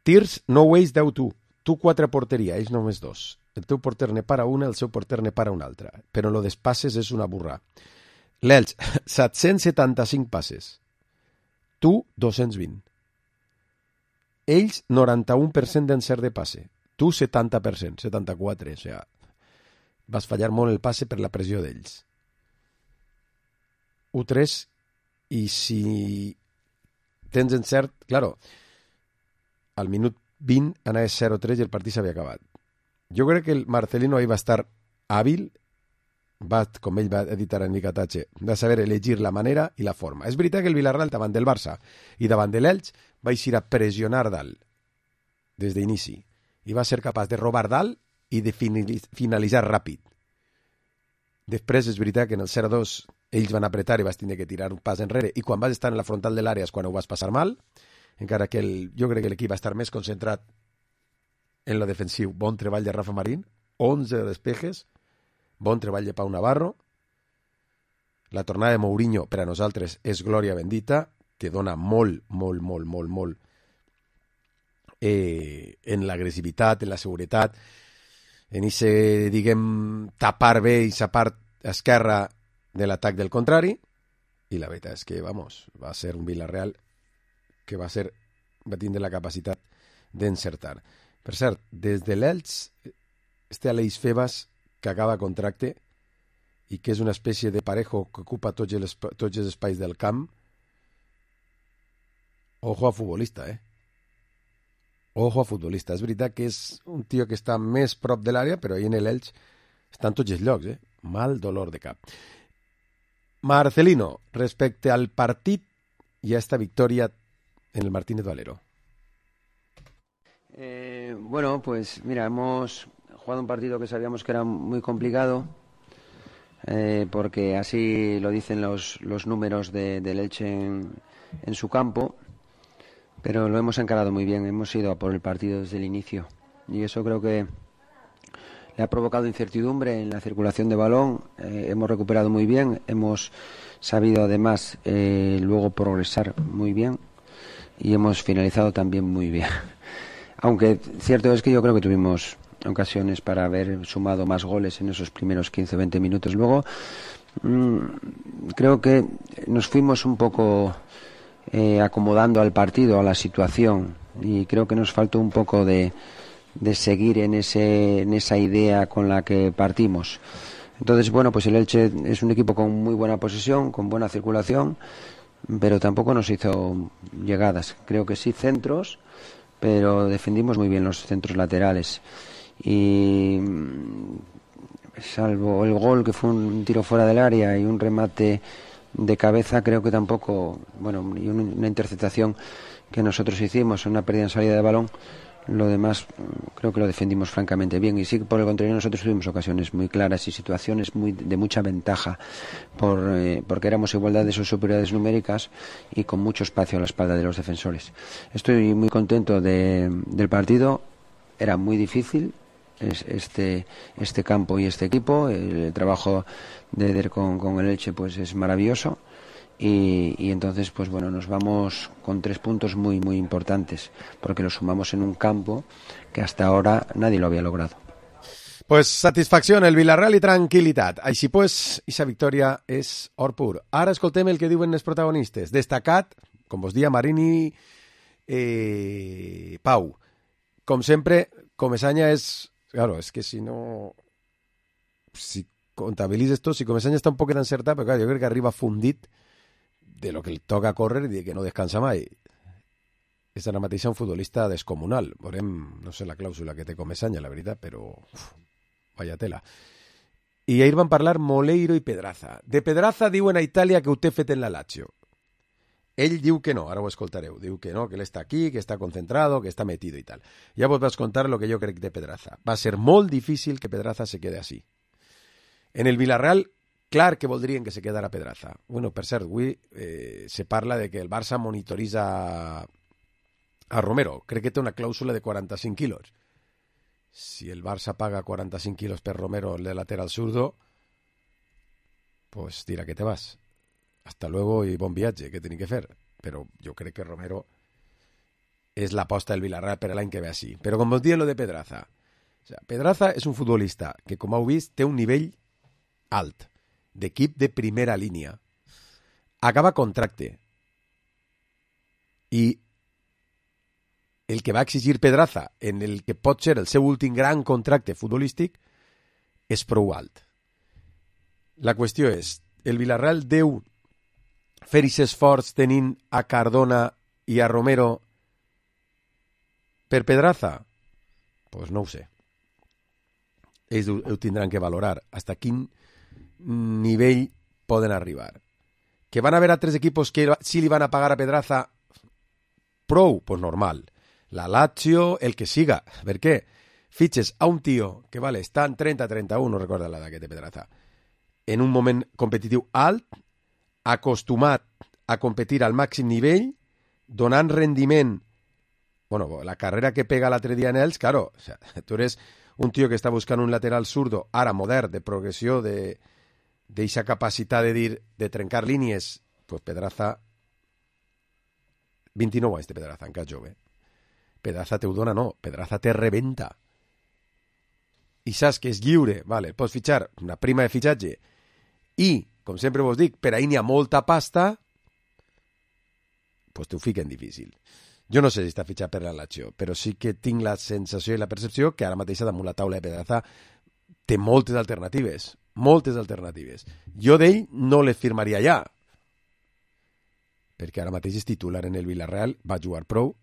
Tirs, no ways, 10-2. Tu 4 a porteria, ells només 2. El teu porter ne para una, el seu porter ne para una altra. Però lo dels passes és una burra. L'Elx, 775 passes. Tu, 220. Ells, 91% d'encert de passe. Tu, 70%, 74%. O sigui, vas fallar molt el passe per la pressió d'ells. 1-3, i si tens encert, claro, al minut 20 anava 0-3 i el partit s'havia acabat. Jo crec que el Marcelino ahí va estar hàbil, com ell va editar en Nicatache, va saber elegir la manera i la forma. És veritat que el Villarreal davant del Barça i davant de l'Elx va eixir a pressionar dalt des d'inici i va ser capaç de robar dalt i de finalitzar ràpid. Després és veritat que en el 0-2 ells van apretar i vas tenir que tirar un pas enrere i quan vas estar en la frontal de l'àrea és quan ho vas passar mal, encara que jo crec que l'equip va estar més concentrat en lo defensiu. Bon treball de Rafa Marín, 11 despejes, bon treball de Pau Navarro. La tornada de Mourinho per a nosaltres és glòria bendita, que dona molt en l'agressivitat, en la seguretat, en ese, diguem, tapar bé i sa part esquerra de l'atac del contrari, i la veritat és que, vamos, va ser un Villarreal que va tindre la capacitat d'encertar. Per cert, des de l'Elx, Aleix Febas, que acaba contracte i que és una espècie de parejo que ocupa tots els espais del camp. Ojo a futbolista, Ojo a futbolista. És veritat que és un tio que està més prop de l'àrea, però ahí en l'Elx estan tots els llocs, Mal dolor de cap. Marcelino, respecte al partit i a esta victòria en el Martínez Valero. Bueno, pues mira, hemos jugado un partido que sabíamos que era muy complicado, porque así lo dicen los números del Elche en su campo, pero lo hemos encarado muy bien, hemos ido a por el partido desde el inicio y eso creo que le ha provocado incertidumbre en la circulación de balón. Hemos recuperado muy bien, hemos sabido además luego progresar muy bien y hemos finalizado también muy bien. Aunque cierto es que yo creo que tuvimos ocasiones para haber sumado más goles en esos primeros 15 o 20 minutos. Luego creo que nos fuimos un poco acomodando al partido, a la situación, y creo que nos faltó un poco de seguir en esa idea con la que partimos. Entonces, bueno, pues el Elche es un equipo con muy buena posesión, con buena circulación, pero tampoco nos hizo llegadas. Creo que sí centros, pero defendimos muy bien los centros laterales. Y salvo el gol, que fue un tiro fuera del área y un remate de cabeza creo que tampoco, bueno, y una interceptación que nosotros hicimos, una pérdida en salida de balón. Lo demás creo que lo defendimos francamente bien, y sí que por el contrario nosotros tuvimos ocasiones muy claras y situaciones de mucha ventaja porque éramos igualdades o superioridades numéricas y con mucho espacio a la espalda de los defensores. Estoy muy contento del partido. Era muy difícil este campo y este equipo. El trabajo de Eder con el Elche pues es maravilloso. Y entonces pues bueno, nos vamos con 3 puntos muy muy importantes, porque los sumamos en un campo que hasta ahora nadie lo había logrado. Pues satisfacció el Villarreal i tranquil·litat. Així pues, esa victòria és or pur. Ara escoltem el que diuen els protagonistes. Destacat, com vos dia, Marini, Pau. Com sempre, Comesaña és... Claro, és que si no... Si comptabilitzes tot, si Comesaña està un poquet encertat, però clar, jo crec que arriba fundit de lo que li toca córrer i de que no descansa mai. És ara mateix un futbolista descomunal. Veurem, no sé la clàusula que té Comesaña, la veritat, però vaya tela. I ahir van parlar Moleiro i Pedraza. De Pedraza diuen a Itàlia que ho té fet en la Lazio. Ell diu que no, ara ho escoltareu. Diu que no, que ell està aquí, que està concentrado, que està metido i tal. Ja vos vaig contar lo que jo crec de Pedraza. Va ser molt difícil que Pedraza se quede así. En el Villarreal, clar que voldrien que se quedara Pedraza. Bueno, per cert, avui se parla de que el Barça monitoritza a Romero. Crec que té una clàusula de 45 quilos. Si el Barça paga 45 quilos per Romero de lateral zurdo, pues tira que te vas. Hasta luego y bon viatge, que tiene que fer. Però jo crec que Romero és l'aposta del Villarreal per l'any que ve així. Però com vos diuen lo de Pedraza. O sea, Pedraza és un futbolista que, com heu vist, té un nivell alt, d'equip de primera línia. Acaba contracte. I el que va exigir Pedraza en el que pot ser el seu últim gran contracte futbolístic és prou alt. La qüestió és, el Villarreal deu fer aquest esforç tenint a Cardona i a Romero per Pedraza? Pues no ho sé. Ells ho tindran que valorar. Hasta quin nivell poden arribar. Que van haver altres equipos que sí li van a pagar a Pedraza prou? Pues normal. La Lazio, el que siga. Per què? Fitxes a un tio que vale, està en 30-31, no recorda l'edat que té Pedraza, en un moment competitiu alt, acostumat a competir al màxim nivell, donant rendiment. Bueno, la carrera que pega l'altre dia en ells, claro, o sea, tu eres un tio que està buscant un lateral zurdo, ara modern, de progressió, d'eixa capacitat de dir, de trencar línies, pues Pedraza, 29 anys de Pedraza, encara jove. Pedraza te ho dona, no, Pedraza te rebenta. I saps que és lliure, vale, pots fitxar una prima de fitxatge i, com sempre vos dic, per ahir n'hi ha molta pasta, pues t'ho fiquen difícil. Jo no sé si està fitxat per la Lazio, però sí que tinc la sensació i la percepció que ara mateix damunt la taula de Pedraza té moltes alternatives. Moltes alternatives. Jo d'ell no les firmaria ja, perquè ara mateix és titular en el Villarreal, va jugar prou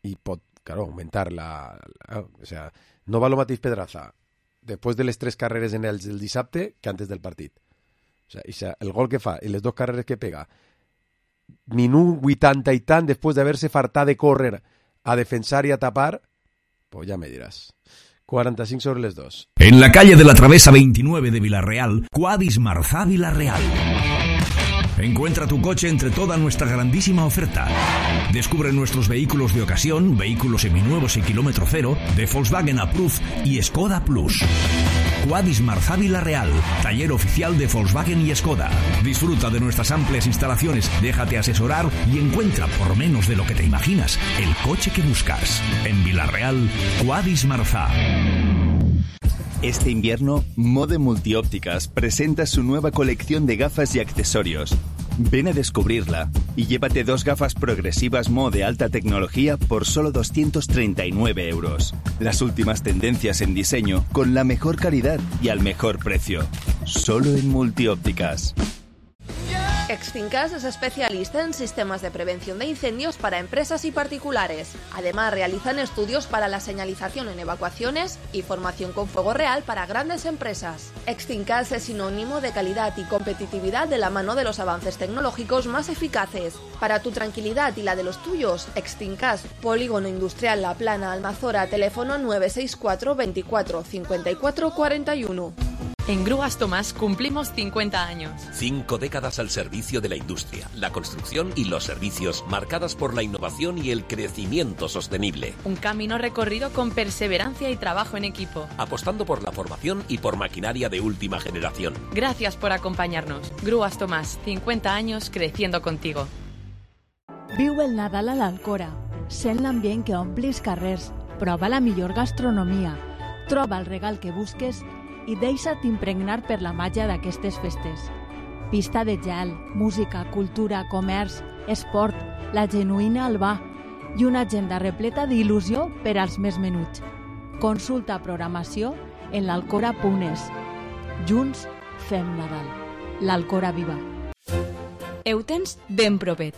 i pot, claro, augmentar o sea, no va lo mateix Pedraza després de les 3 carreres en el dissabte que antes del partit. O sea, el gol que fa i les 2 carreres que pega, minut 80 y tant después de haberse fartado de córrer a defensar y a tapar, pues ya me dirás. 45 sobre les 2. En la calle de la Travesa 29 de Villarreal, Quadis Marzá Villarreal. Encuentra tu coche entre toda nuestra grandísima oferta. Descubre nuestros vehículos de ocasión, vehículos seminuevos y kilómetro cero, de Volkswagen Approved y Skoda Plus. Quadis Marzá Villarreal, taller oficial de Volkswagen y Skoda. Disfruta de nuestras amplias instalaciones, déjate asesorar y encuentra, por menos de lo que te imaginas, el coche que buscas. En Villarreal, Quadis Marzá. Este invierno, Mode Multiópticas presenta su nueva colección de gafas y accesorios. Ven a descubrirla y llévate 2 gafas progresivas Mo de alta tecnología por solo 239 euros. Las últimas tendencias en diseño con la mejor calidad y al mejor precio. Solo en Multiópticas. Extincas es especialista en sistemas de prevención de incendios para empresas y particulares. Además, realizan estudios para la señalización en evacuaciones y formación con fuego real para grandes empresas. Extincas es sinónimo de calidad y competitividad de la mano de los avances tecnológicos más eficaces. Para tu tranquilidad y la de los tuyos, Extincas, Polígono Industrial La Plana, Almazora, teléfono 964 24 54 41. En Grúas Tomás cumplimos 50 años. 5 décadas al servicio de la industria, la construcción y los servicios, marcadas por la innovación y el crecimiento sostenible. Un camino recorrido con perseverancia y trabajo en equipo. Apostando por la formación y por maquinaria de última generación. Gracias por acompañarnos. Grúas Tomás, 50 años creciendo contigo. Viu el Nadal a l'Alcora. Sent l'ambient que ompli els carrers. Prova la millor gastronomia. Troba el regal que busques i deixa't impregnar per la màgia d'aquestes festes. Pista de gel, música, cultura, comerç, esport, la genuïna Albà i una agenda repleta d'il·lusió per als més menuts. Consulta programació en l'alcora.es. Junts fem Nadal. L'Alcora viva. Ho tens ben propet.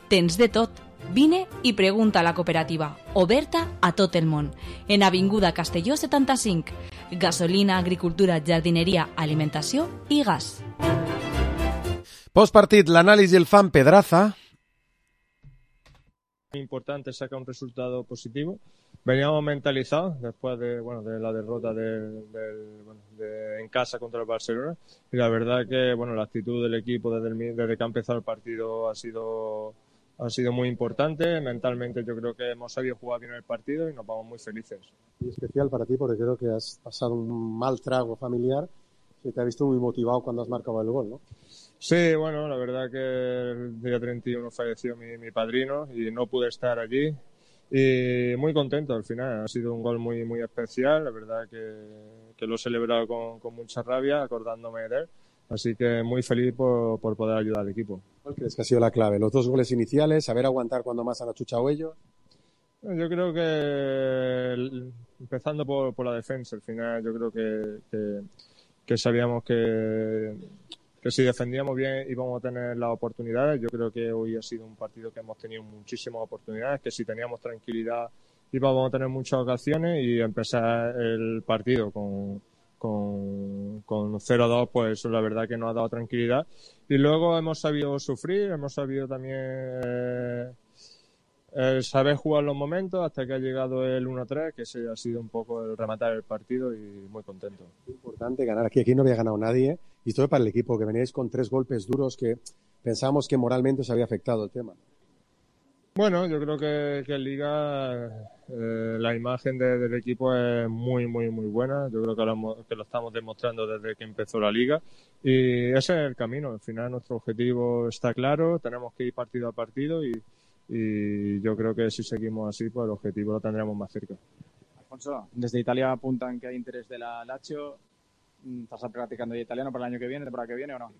Tens de tot. Vine i pregunta a la cooperativa, oberta a tot el món. En Avinguda Castelló 75. Gasolina, agricultura, jardineria, alimentació i gas. Postpartit, l'anàlisi el fan Pedraza. Importante sacar un resultado positivo. Veníamos mentalizados después de la derrota en casa contra el Barcelona, y la verdad que la actitud del equipo desde que ha empezado el partido ha sido muy importante. Mentalmente yo creo que hemos sabido jugar bien el partido y nos vamos muy felices. Y especial para ti porque creo que has pasado un mal trago familiar, que te ha visto muy motivado cuando has marcado el gol, ¿no? Sí, la verdad que el día 31 falleció mi padrino y no pude estar allí. Y muy contento al final, ha sido un gol muy, muy especial, la verdad que lo he celebrado con mucha rabia, acordándome de él. Así que muy feliz por poder ayudar al equipo. ¿Cuál crees que ha sido la clave? ¿Los 2 goles iniciales? ¿Saber aguantar cuando más han achuchado ellos? Yo creo que empezando por la defensa, al final yo creo que sabíamos que si defendíamos bien íbamos a tener las oportunidades. Yo creo que hoy ha sido un partido que hemos tenido muchísimas oportunidades, que si teníamos tranquilidad íbamos a tener muchas ocasiones, y empezar el partido con 0-2, pues eso la verdad que nos ha dado tranquilidad. Y luego hemos sabido sufrir, hemos sabido también saber jugar los momentos hasta que ha llegado el 1-3, que ese ha sido un poco el rematar el partido, y muy contento. Importante ganar aquí no había ganado nadie, y esto es para el equipo, que veníais con 3 golpes duros que pensábamos que moralmente os había afectado el tema. Yo creo que en Liga la imagen del equipo es muy, muy, muy buena. Yo creo que lo estamos demostrando desde que empezó la Liga, y ese es el camino. Al final nuestro objetivo está claro, tenemos que ir partido a partido, y yo creo que si seguimos así, pues el objetivo lo tendremos más cerca. Alfonso, desde Italia apuntan que hay interés de la Lazio. ¿Estás practicando italiano para el año que viene, temporada que viene, o no?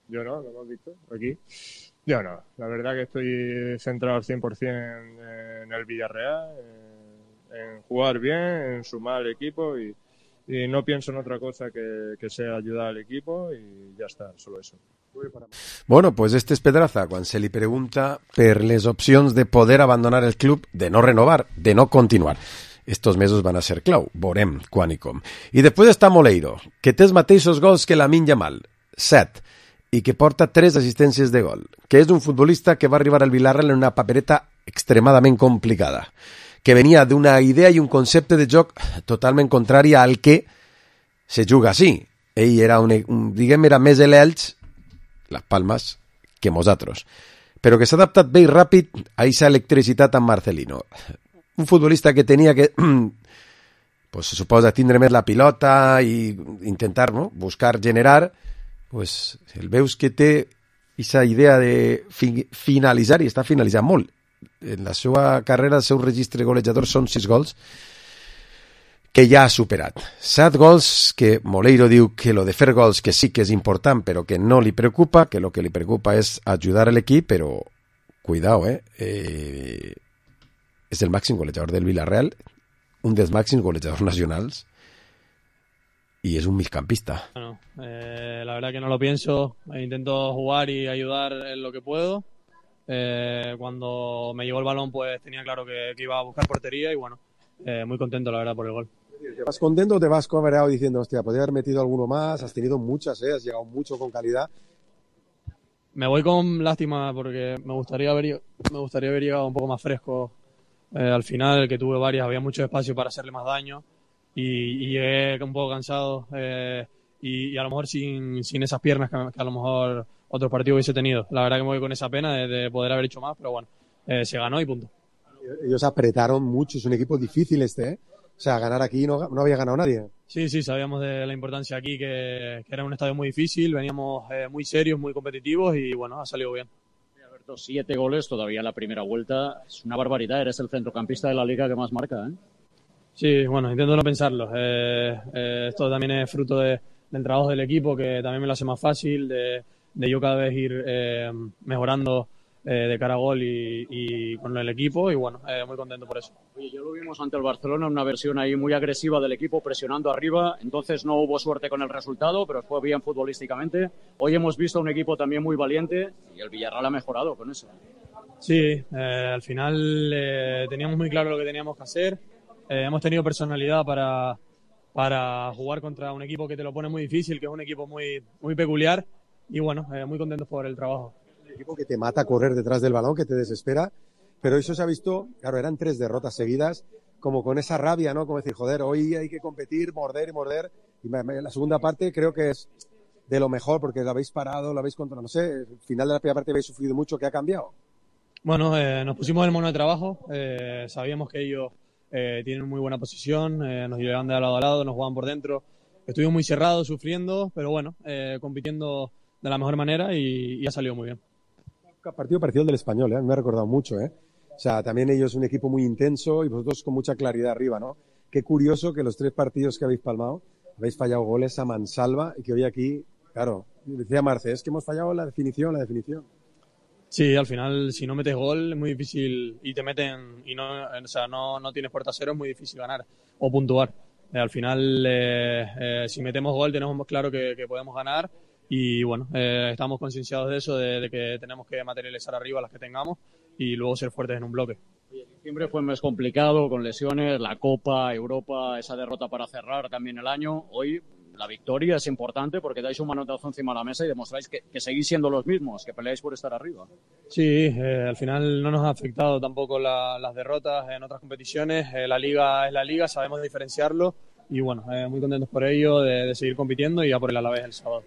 Yo no, lo hemos visto aquí. Yo no, la verdad que estoy centrado al 100% en el Villarreal, en jugar bien, en sumar al equipo, y no pienso en otra cosa que sea ayudar al equipo, y ya está, solo eso. Bueno, pues este es Pedraza quan se li pregunta per les opcions de poder abandonar el club, de no renovar, de no continuar. Estos mesos van a ser clau, veurem quan i com. I després està Moleiro, que té els mateixos gols que Lamine Yamal, 7, i que porta 3 assistències de gol, que és un futbolista que va arribar al Villarreal en una papereta extremadament complicada, que venia d'una idea i un concepte de joc totalment contrari al que se juga així. Ell era era més l'Elx, Las Palmas, que nosaltres, però que s'ha adaptat bé i ràpid a aquesta electricitat amb Marcelino. Un futbolista que tenia que, pues se suposa, tindre més la pilota i intentar, no, buscar generar, pues el veus que té aquesta idea de finalitzar, i està finalitzant molt. En la seva carrera, el seu registre golejador són 6 gols, que ja ha superat. 7 gols que Moleiro diu que lo de fer gols que sí que és important, però que no li preocupa, que lo que li preocupa és ajudar a l'equip, però cuidao, és el màxim golejador del Villarreal, un dels màxims golejadors nacionals, y es un mixcampista. Bueno, la verdad que no lo pienso, intento jugar y ayudar en lo que puedo. Cuando me llegó el balón pues tenía claro que iba a buscar portería y bueno, muy contento la verdad por el gol. ¿Te vas contento o te vas cabreado diciendo, hostia, podría haber metido alguno más? Has tenido muchas, has llegado mucho con calidad. Me voy con lástima porque me gustaría haber llegado un poco más fresco al final, que tuve varias, había mucho espacio para hacerle más daño y llegué un poco cansado y a lo mejor sin esas piernas que a lo mejor otros partidos hubiese tenido. La verdad que me voy con esa pena de poder haber hecho más, pero bueno, se ganó y punto. Ellos apretaron mucho, es un equipo difícil ¿eh? O sea, ganar aquí no había ganado nadie. Sí, sabíamos de la importancia aquí, que era un estadio muy difícil, veníamos muy serios, muy competitivos y bueno, ha salido bien. Alberto, 7 goles todavía en la primera vuelta, es una barbaridad, eres el centrocampista de la liga que más marca, ¿eh? Sí, bueno, intento no pensarlo. Esto también es fruto del trabajo del equipo, que también me lo hace más fácil, de yo cada vez ir mejorando de cara a gol y con el equipo y bueno, muy contento por eso. Oye, ya lo vimos ante el Barcelona, una versión ahí muy agresiva del equipo, presionando arriba, entonces no hubo suerte con el resultado, pero fue bien futbolísticamente. Hoy hemos visto un equipo también muy valiente y el Villarreal ha mejorado con eso. Sí, al final teníamos muy claro lo que teníamos que hacer, hemos tenido personalidad para jugar contra un equipo que te lo pone muy difícil, que es un equipo muy, muy peculiar y bueno, muy contentos por el trabajo. Un equipo que te mata a correr detrás del balón, que te desespera, pero eso se ha visto, claro, eran 3 derrotas seguidas, como con esa rabia, ¿no? Como decir, joder, hoy hay que competir, morder, y la segunda parte creo que es de lo mejor, porque lo habéis parado, lo habéis controlado, no sé, al final de la primera parte habéis sufrido mucho, ¿qué ha cambiado? Bueno, nos pusimos el mono de trabajo, sabíamos que ellos tienen muy buena posición, nos llevan de lado a lado, nos juegan por dentro, estuvimos muy cerrados, sufriendo, pero bueno, compitiendo de la mejor manera y ha salido muy bien. Partido parecido al del Español, me ha recordado mucho, O sea, también ellos un equipo muy intenso y vosotros con mucha claridad arriba, ¿no? Qué curioso que los 3 partidos que habéis palmado habéis fallado goles a mansalva y que hoy aquí, claro, decía Marce, es que hemos fallado la definición. Sí, al final si no metes gol es muy difícil y te meten y no tienes puerta cero, es muy difícil ganar o puntuar. Al final si metemos gol tenemos claro que podemos ganar. Y bueno, estamos concienciados de eso, de que tenemos que materializar arriba las que tengamos y luego ser fuertes en un bloque. Siempre fue más complicado con lesiones, la Copa, Europa, esa derrota para cerrar también el año. Hoy la victoria es importante porque dais un manotazo encima de la mesa y demostráis que seguís siendo los mismos, que peleáis por estar arriba. Sí, al final no nos ha afectado tampoco las derrotas en otras competiciones. La Liga es la Liga, sabemos diferenciarlo. I bueno, muy contentos por ello, de seguir compitiendo i a por el Alavés el sábado.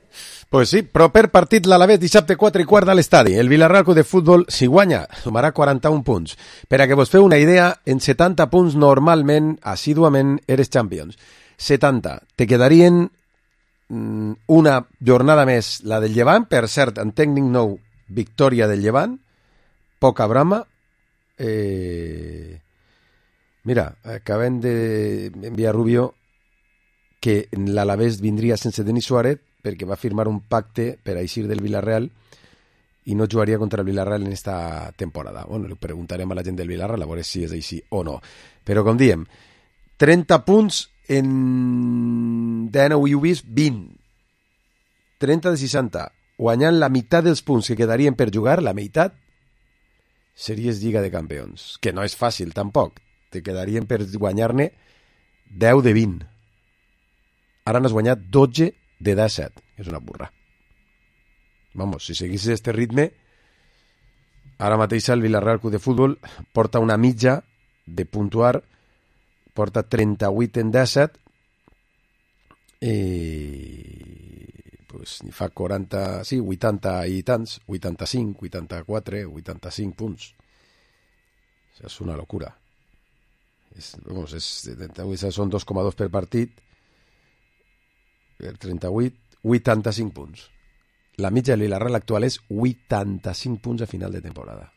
Pues sí, proper partit l'Alavés dissabte 4:15 a l'estadi. El Villarreal Club de Futbol, si guanya, sumarà 41 punts. Per a que vos feu una idea, en 70 punts normalment, assíduament, eres Champions. 70. Te quedarien una jornada més, la del Llevant, per cert, en tècnic nou, victòria del Llevant, poca brama. Mira, acabem d'enviar Rubio que l'Alavés vindria sense Denis Suárez perquè va firmar un pacte per a eixir del Villarreal i no jugaria contra el Villarreal en esta temporada. Bueno, li preguntarem a la gent del Villarreal a veure si és així o no. Però com diem, 30 punts en 19 i ho vist 20. 30 de 60. Guanyant la meitat dels punts que quedarien per jugar, la meitat, series Lliga de Campions. Que no és fàcil, tampoc. Te quedarien per guanyar-ne 10 de 20. Ara n'has guanyat 12 de 17. És una burra. Vamos, si seguissis este ritme, ara mateix el Villarreal Club de Futbol porta una mitja de puntuar, porta 38 en 17 i pues, ni fa 40, sí, 80 i tants, 85, 84, 85 punts. Això és una locura. Són 2,2 per partit, 38, 85 punts. La mitja del Villarreal actual és 85 punts a final de temporada.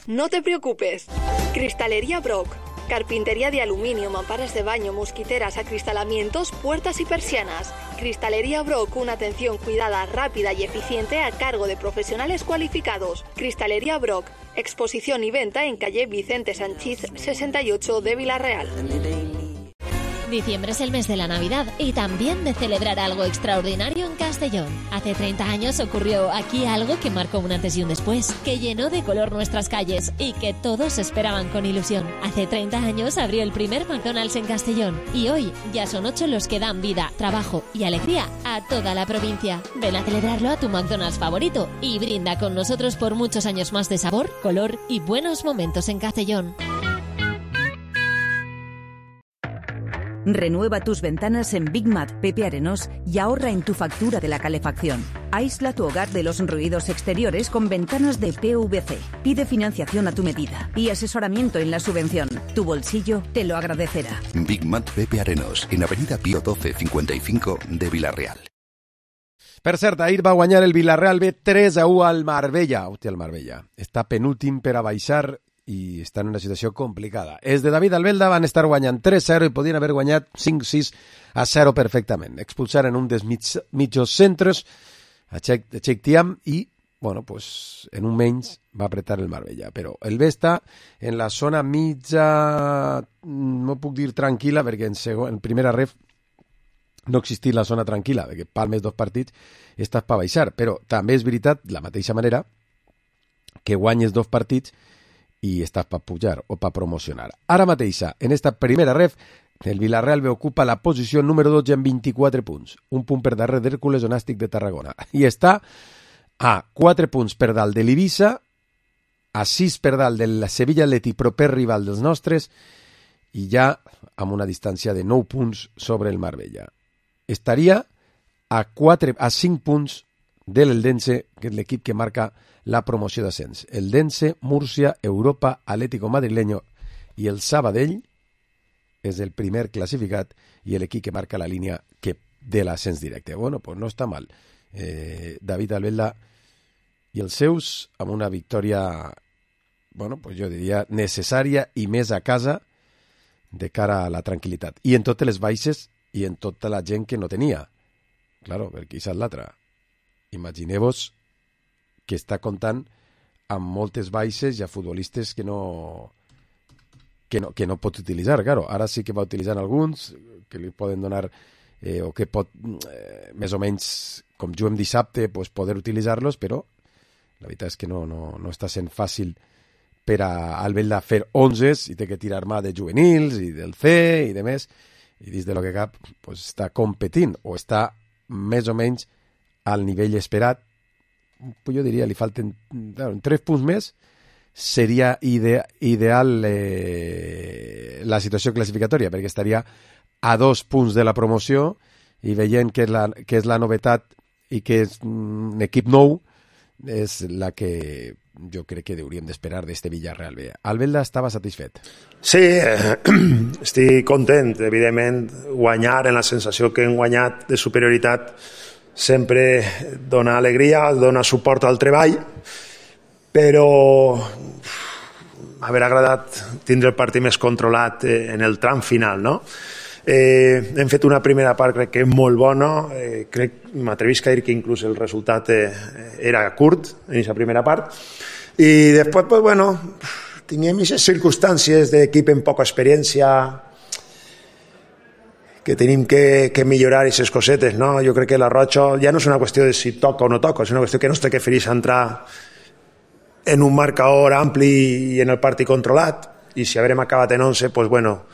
No te preocupes. Cristalería Brock. Carpintería de aluminio, mamparas de baño, mosquiteras, acristalamientos, puertas y persianas. Cristalería Brock, una atención cuidada, rápida y eficiente a cargo de profesionales cualificados. Cristalería Brock. Exposición y venta en calle Vicente Sanchís 68 de Villarreal. Diciembre es el mes de la Navidad y también de celebrar algo extraordinario en Castellón. Hace 30 años ocurrió aquí algo que marcó un antes y un después, que llenó de color nuestras calles y que todos esperaban con ilusión. Hace 30 años abrió el primer McDonald's en Castellón y hoy ya son 8 los que dan vida, trabajo y alegría a toda la provincia. Ven a celebrarlo a tu McDonald's favorito y brinda con nosotros por muchos años más de sabor, color y buenos momentos en Castellón. Renueva tus ventanas en Big Mat Pepe Arenós y ahorra en tu factura de la calefacción. Aísla tu hogar de los ruidos exteriores con ventanas de PVC. Pide financiación a tu medida y asesoramiento en la subvención. Tu bolsillo te lo agradecerá. Big Mat Pepe Arenós, en Avenida Pío 12 55 de Vila-real. Per cert, ahir va guanyar el Villarreal B 3-1 al Marbella. Hòstia, el Marbella. Està penúltim per a baixar i està en una situació complicada. Els de David Albelda van estar guanyant 3-0 i podien haver guanyat 5-6-0 perfectament. Expulsaren un dels mitjos centres a Cheikh Thiam i, bueno, pues, en un menys va apretar el Marbella. Però el B està en la zona mitja, no puc dir tranquil·la, perquè en primera ref no existís la zona tranquil·la, perquè palmes 2 partits estàs per baixar. Però també és veritat, de la mateixa manera, que guanyes 2 partits i estàs per pujar o per promocionar. Ara mateixa, en esta primera ref, el Villarreal B ocupa la posició número 12 amb 24 punts, un punt per darrere d'Hèrcules o Nàstic de Tarragona, i està a 4 punts per dalt de l'Ibiza, a 6 per dalt del Sevilla Atlètic, proper rival dels nostres, i ja amb una distància de 9 punts sobre el Marbella. Estaria a 5 punts de l'Eldense, que és l'equip que marca la promoció d'ascens. Eldense, Múrcia, Europa, Atlético Madrileño i el Sabadell és el primer classificat i l'equip que marca la línia de l'ascens directe. Bueno, pues no està mal. David Albelda i els seus amb una victòria, bueno, pues jo diria necessària i més a casa de cara a la tranquil·litat. I en totes les baixes i en tota la gent que no tenia. Claro, perquè això és l'altra. Imagineu-vos que està comptant amb moltes baixes i a futbolistes que no pot utilitzar. Claro, ara sí que va utilitzant alguns que li poden donar o que pot més o menys, com juguem dissabte, pues, poder utilitzar-los, però la veritat és que no està sent fàcil per a Albelda fer 11s i té que tirar mà de juvenils i del C i de més, i dins de lo que cap pues, està competint o està més o menys al nivell esperat. Jo diria, li falten 3 punts més, seria ideal la situació classificatòria, perquè estaria a 2 punts de la promoció i veient que és la novetat i que és un equip nou, és la que jo crec que hauríem d'esperar d'este Villarreal B. Albelda estava satisfet. Sí, estic content. Evidentment, guanyar en la sensació que hem guanyat de superioritat sempre dona alegria, dona suport al treball, però haver agradat tindre el partit més controlat en el tram final, no? Hem fet una primera part crec que molt bona, m'atrevisc a dir que inclús el resultat era curt en aquesta primera part, i després, pues bueno, teníem aquestes circumstàncies d'equip amb poca experiència, que tenim que millorar aquestes cosetes, no? Jo crec que la Rocha ja no és una qüestió de si toca o no toca, és una qüestió que no es té que fer entrar en un marcador ampli i en el partit controlat, i si haurem acabat en 11, pues bueno,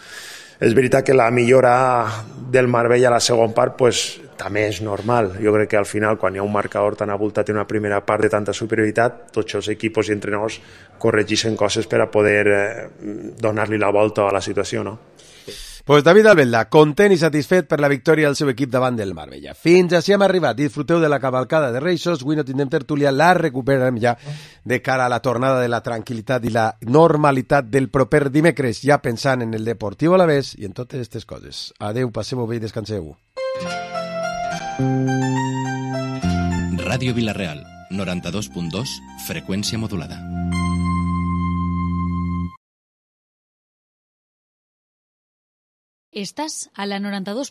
és veritat que la millora del Marbella a la segona part pues, també és normal. Jo crec que al final, quan hi ha un marcador tan abultat en una primera part de tanta superioritat, tots els equips i entrenadors corregeixen coses per a poder donar-li la volta a la situació, no? Pues David Albelda, content i satisfet per la victòria del seu equip davant del Marbella. Fins així hem arribat. Disfruteu de la cavalcada de Reixos. Avui no tindrem tertúlia, la recuperarem ja de cara a la tornada de la tranquil·litat i la normalitat del proper dimecres, ja pensant en el Deportiu Alavés i en totes aquestes coses. Adeu, passeu-ho bé i descanseu. Ràdio Vila-real, 92.2, freqüència modulada. Estás a la 92.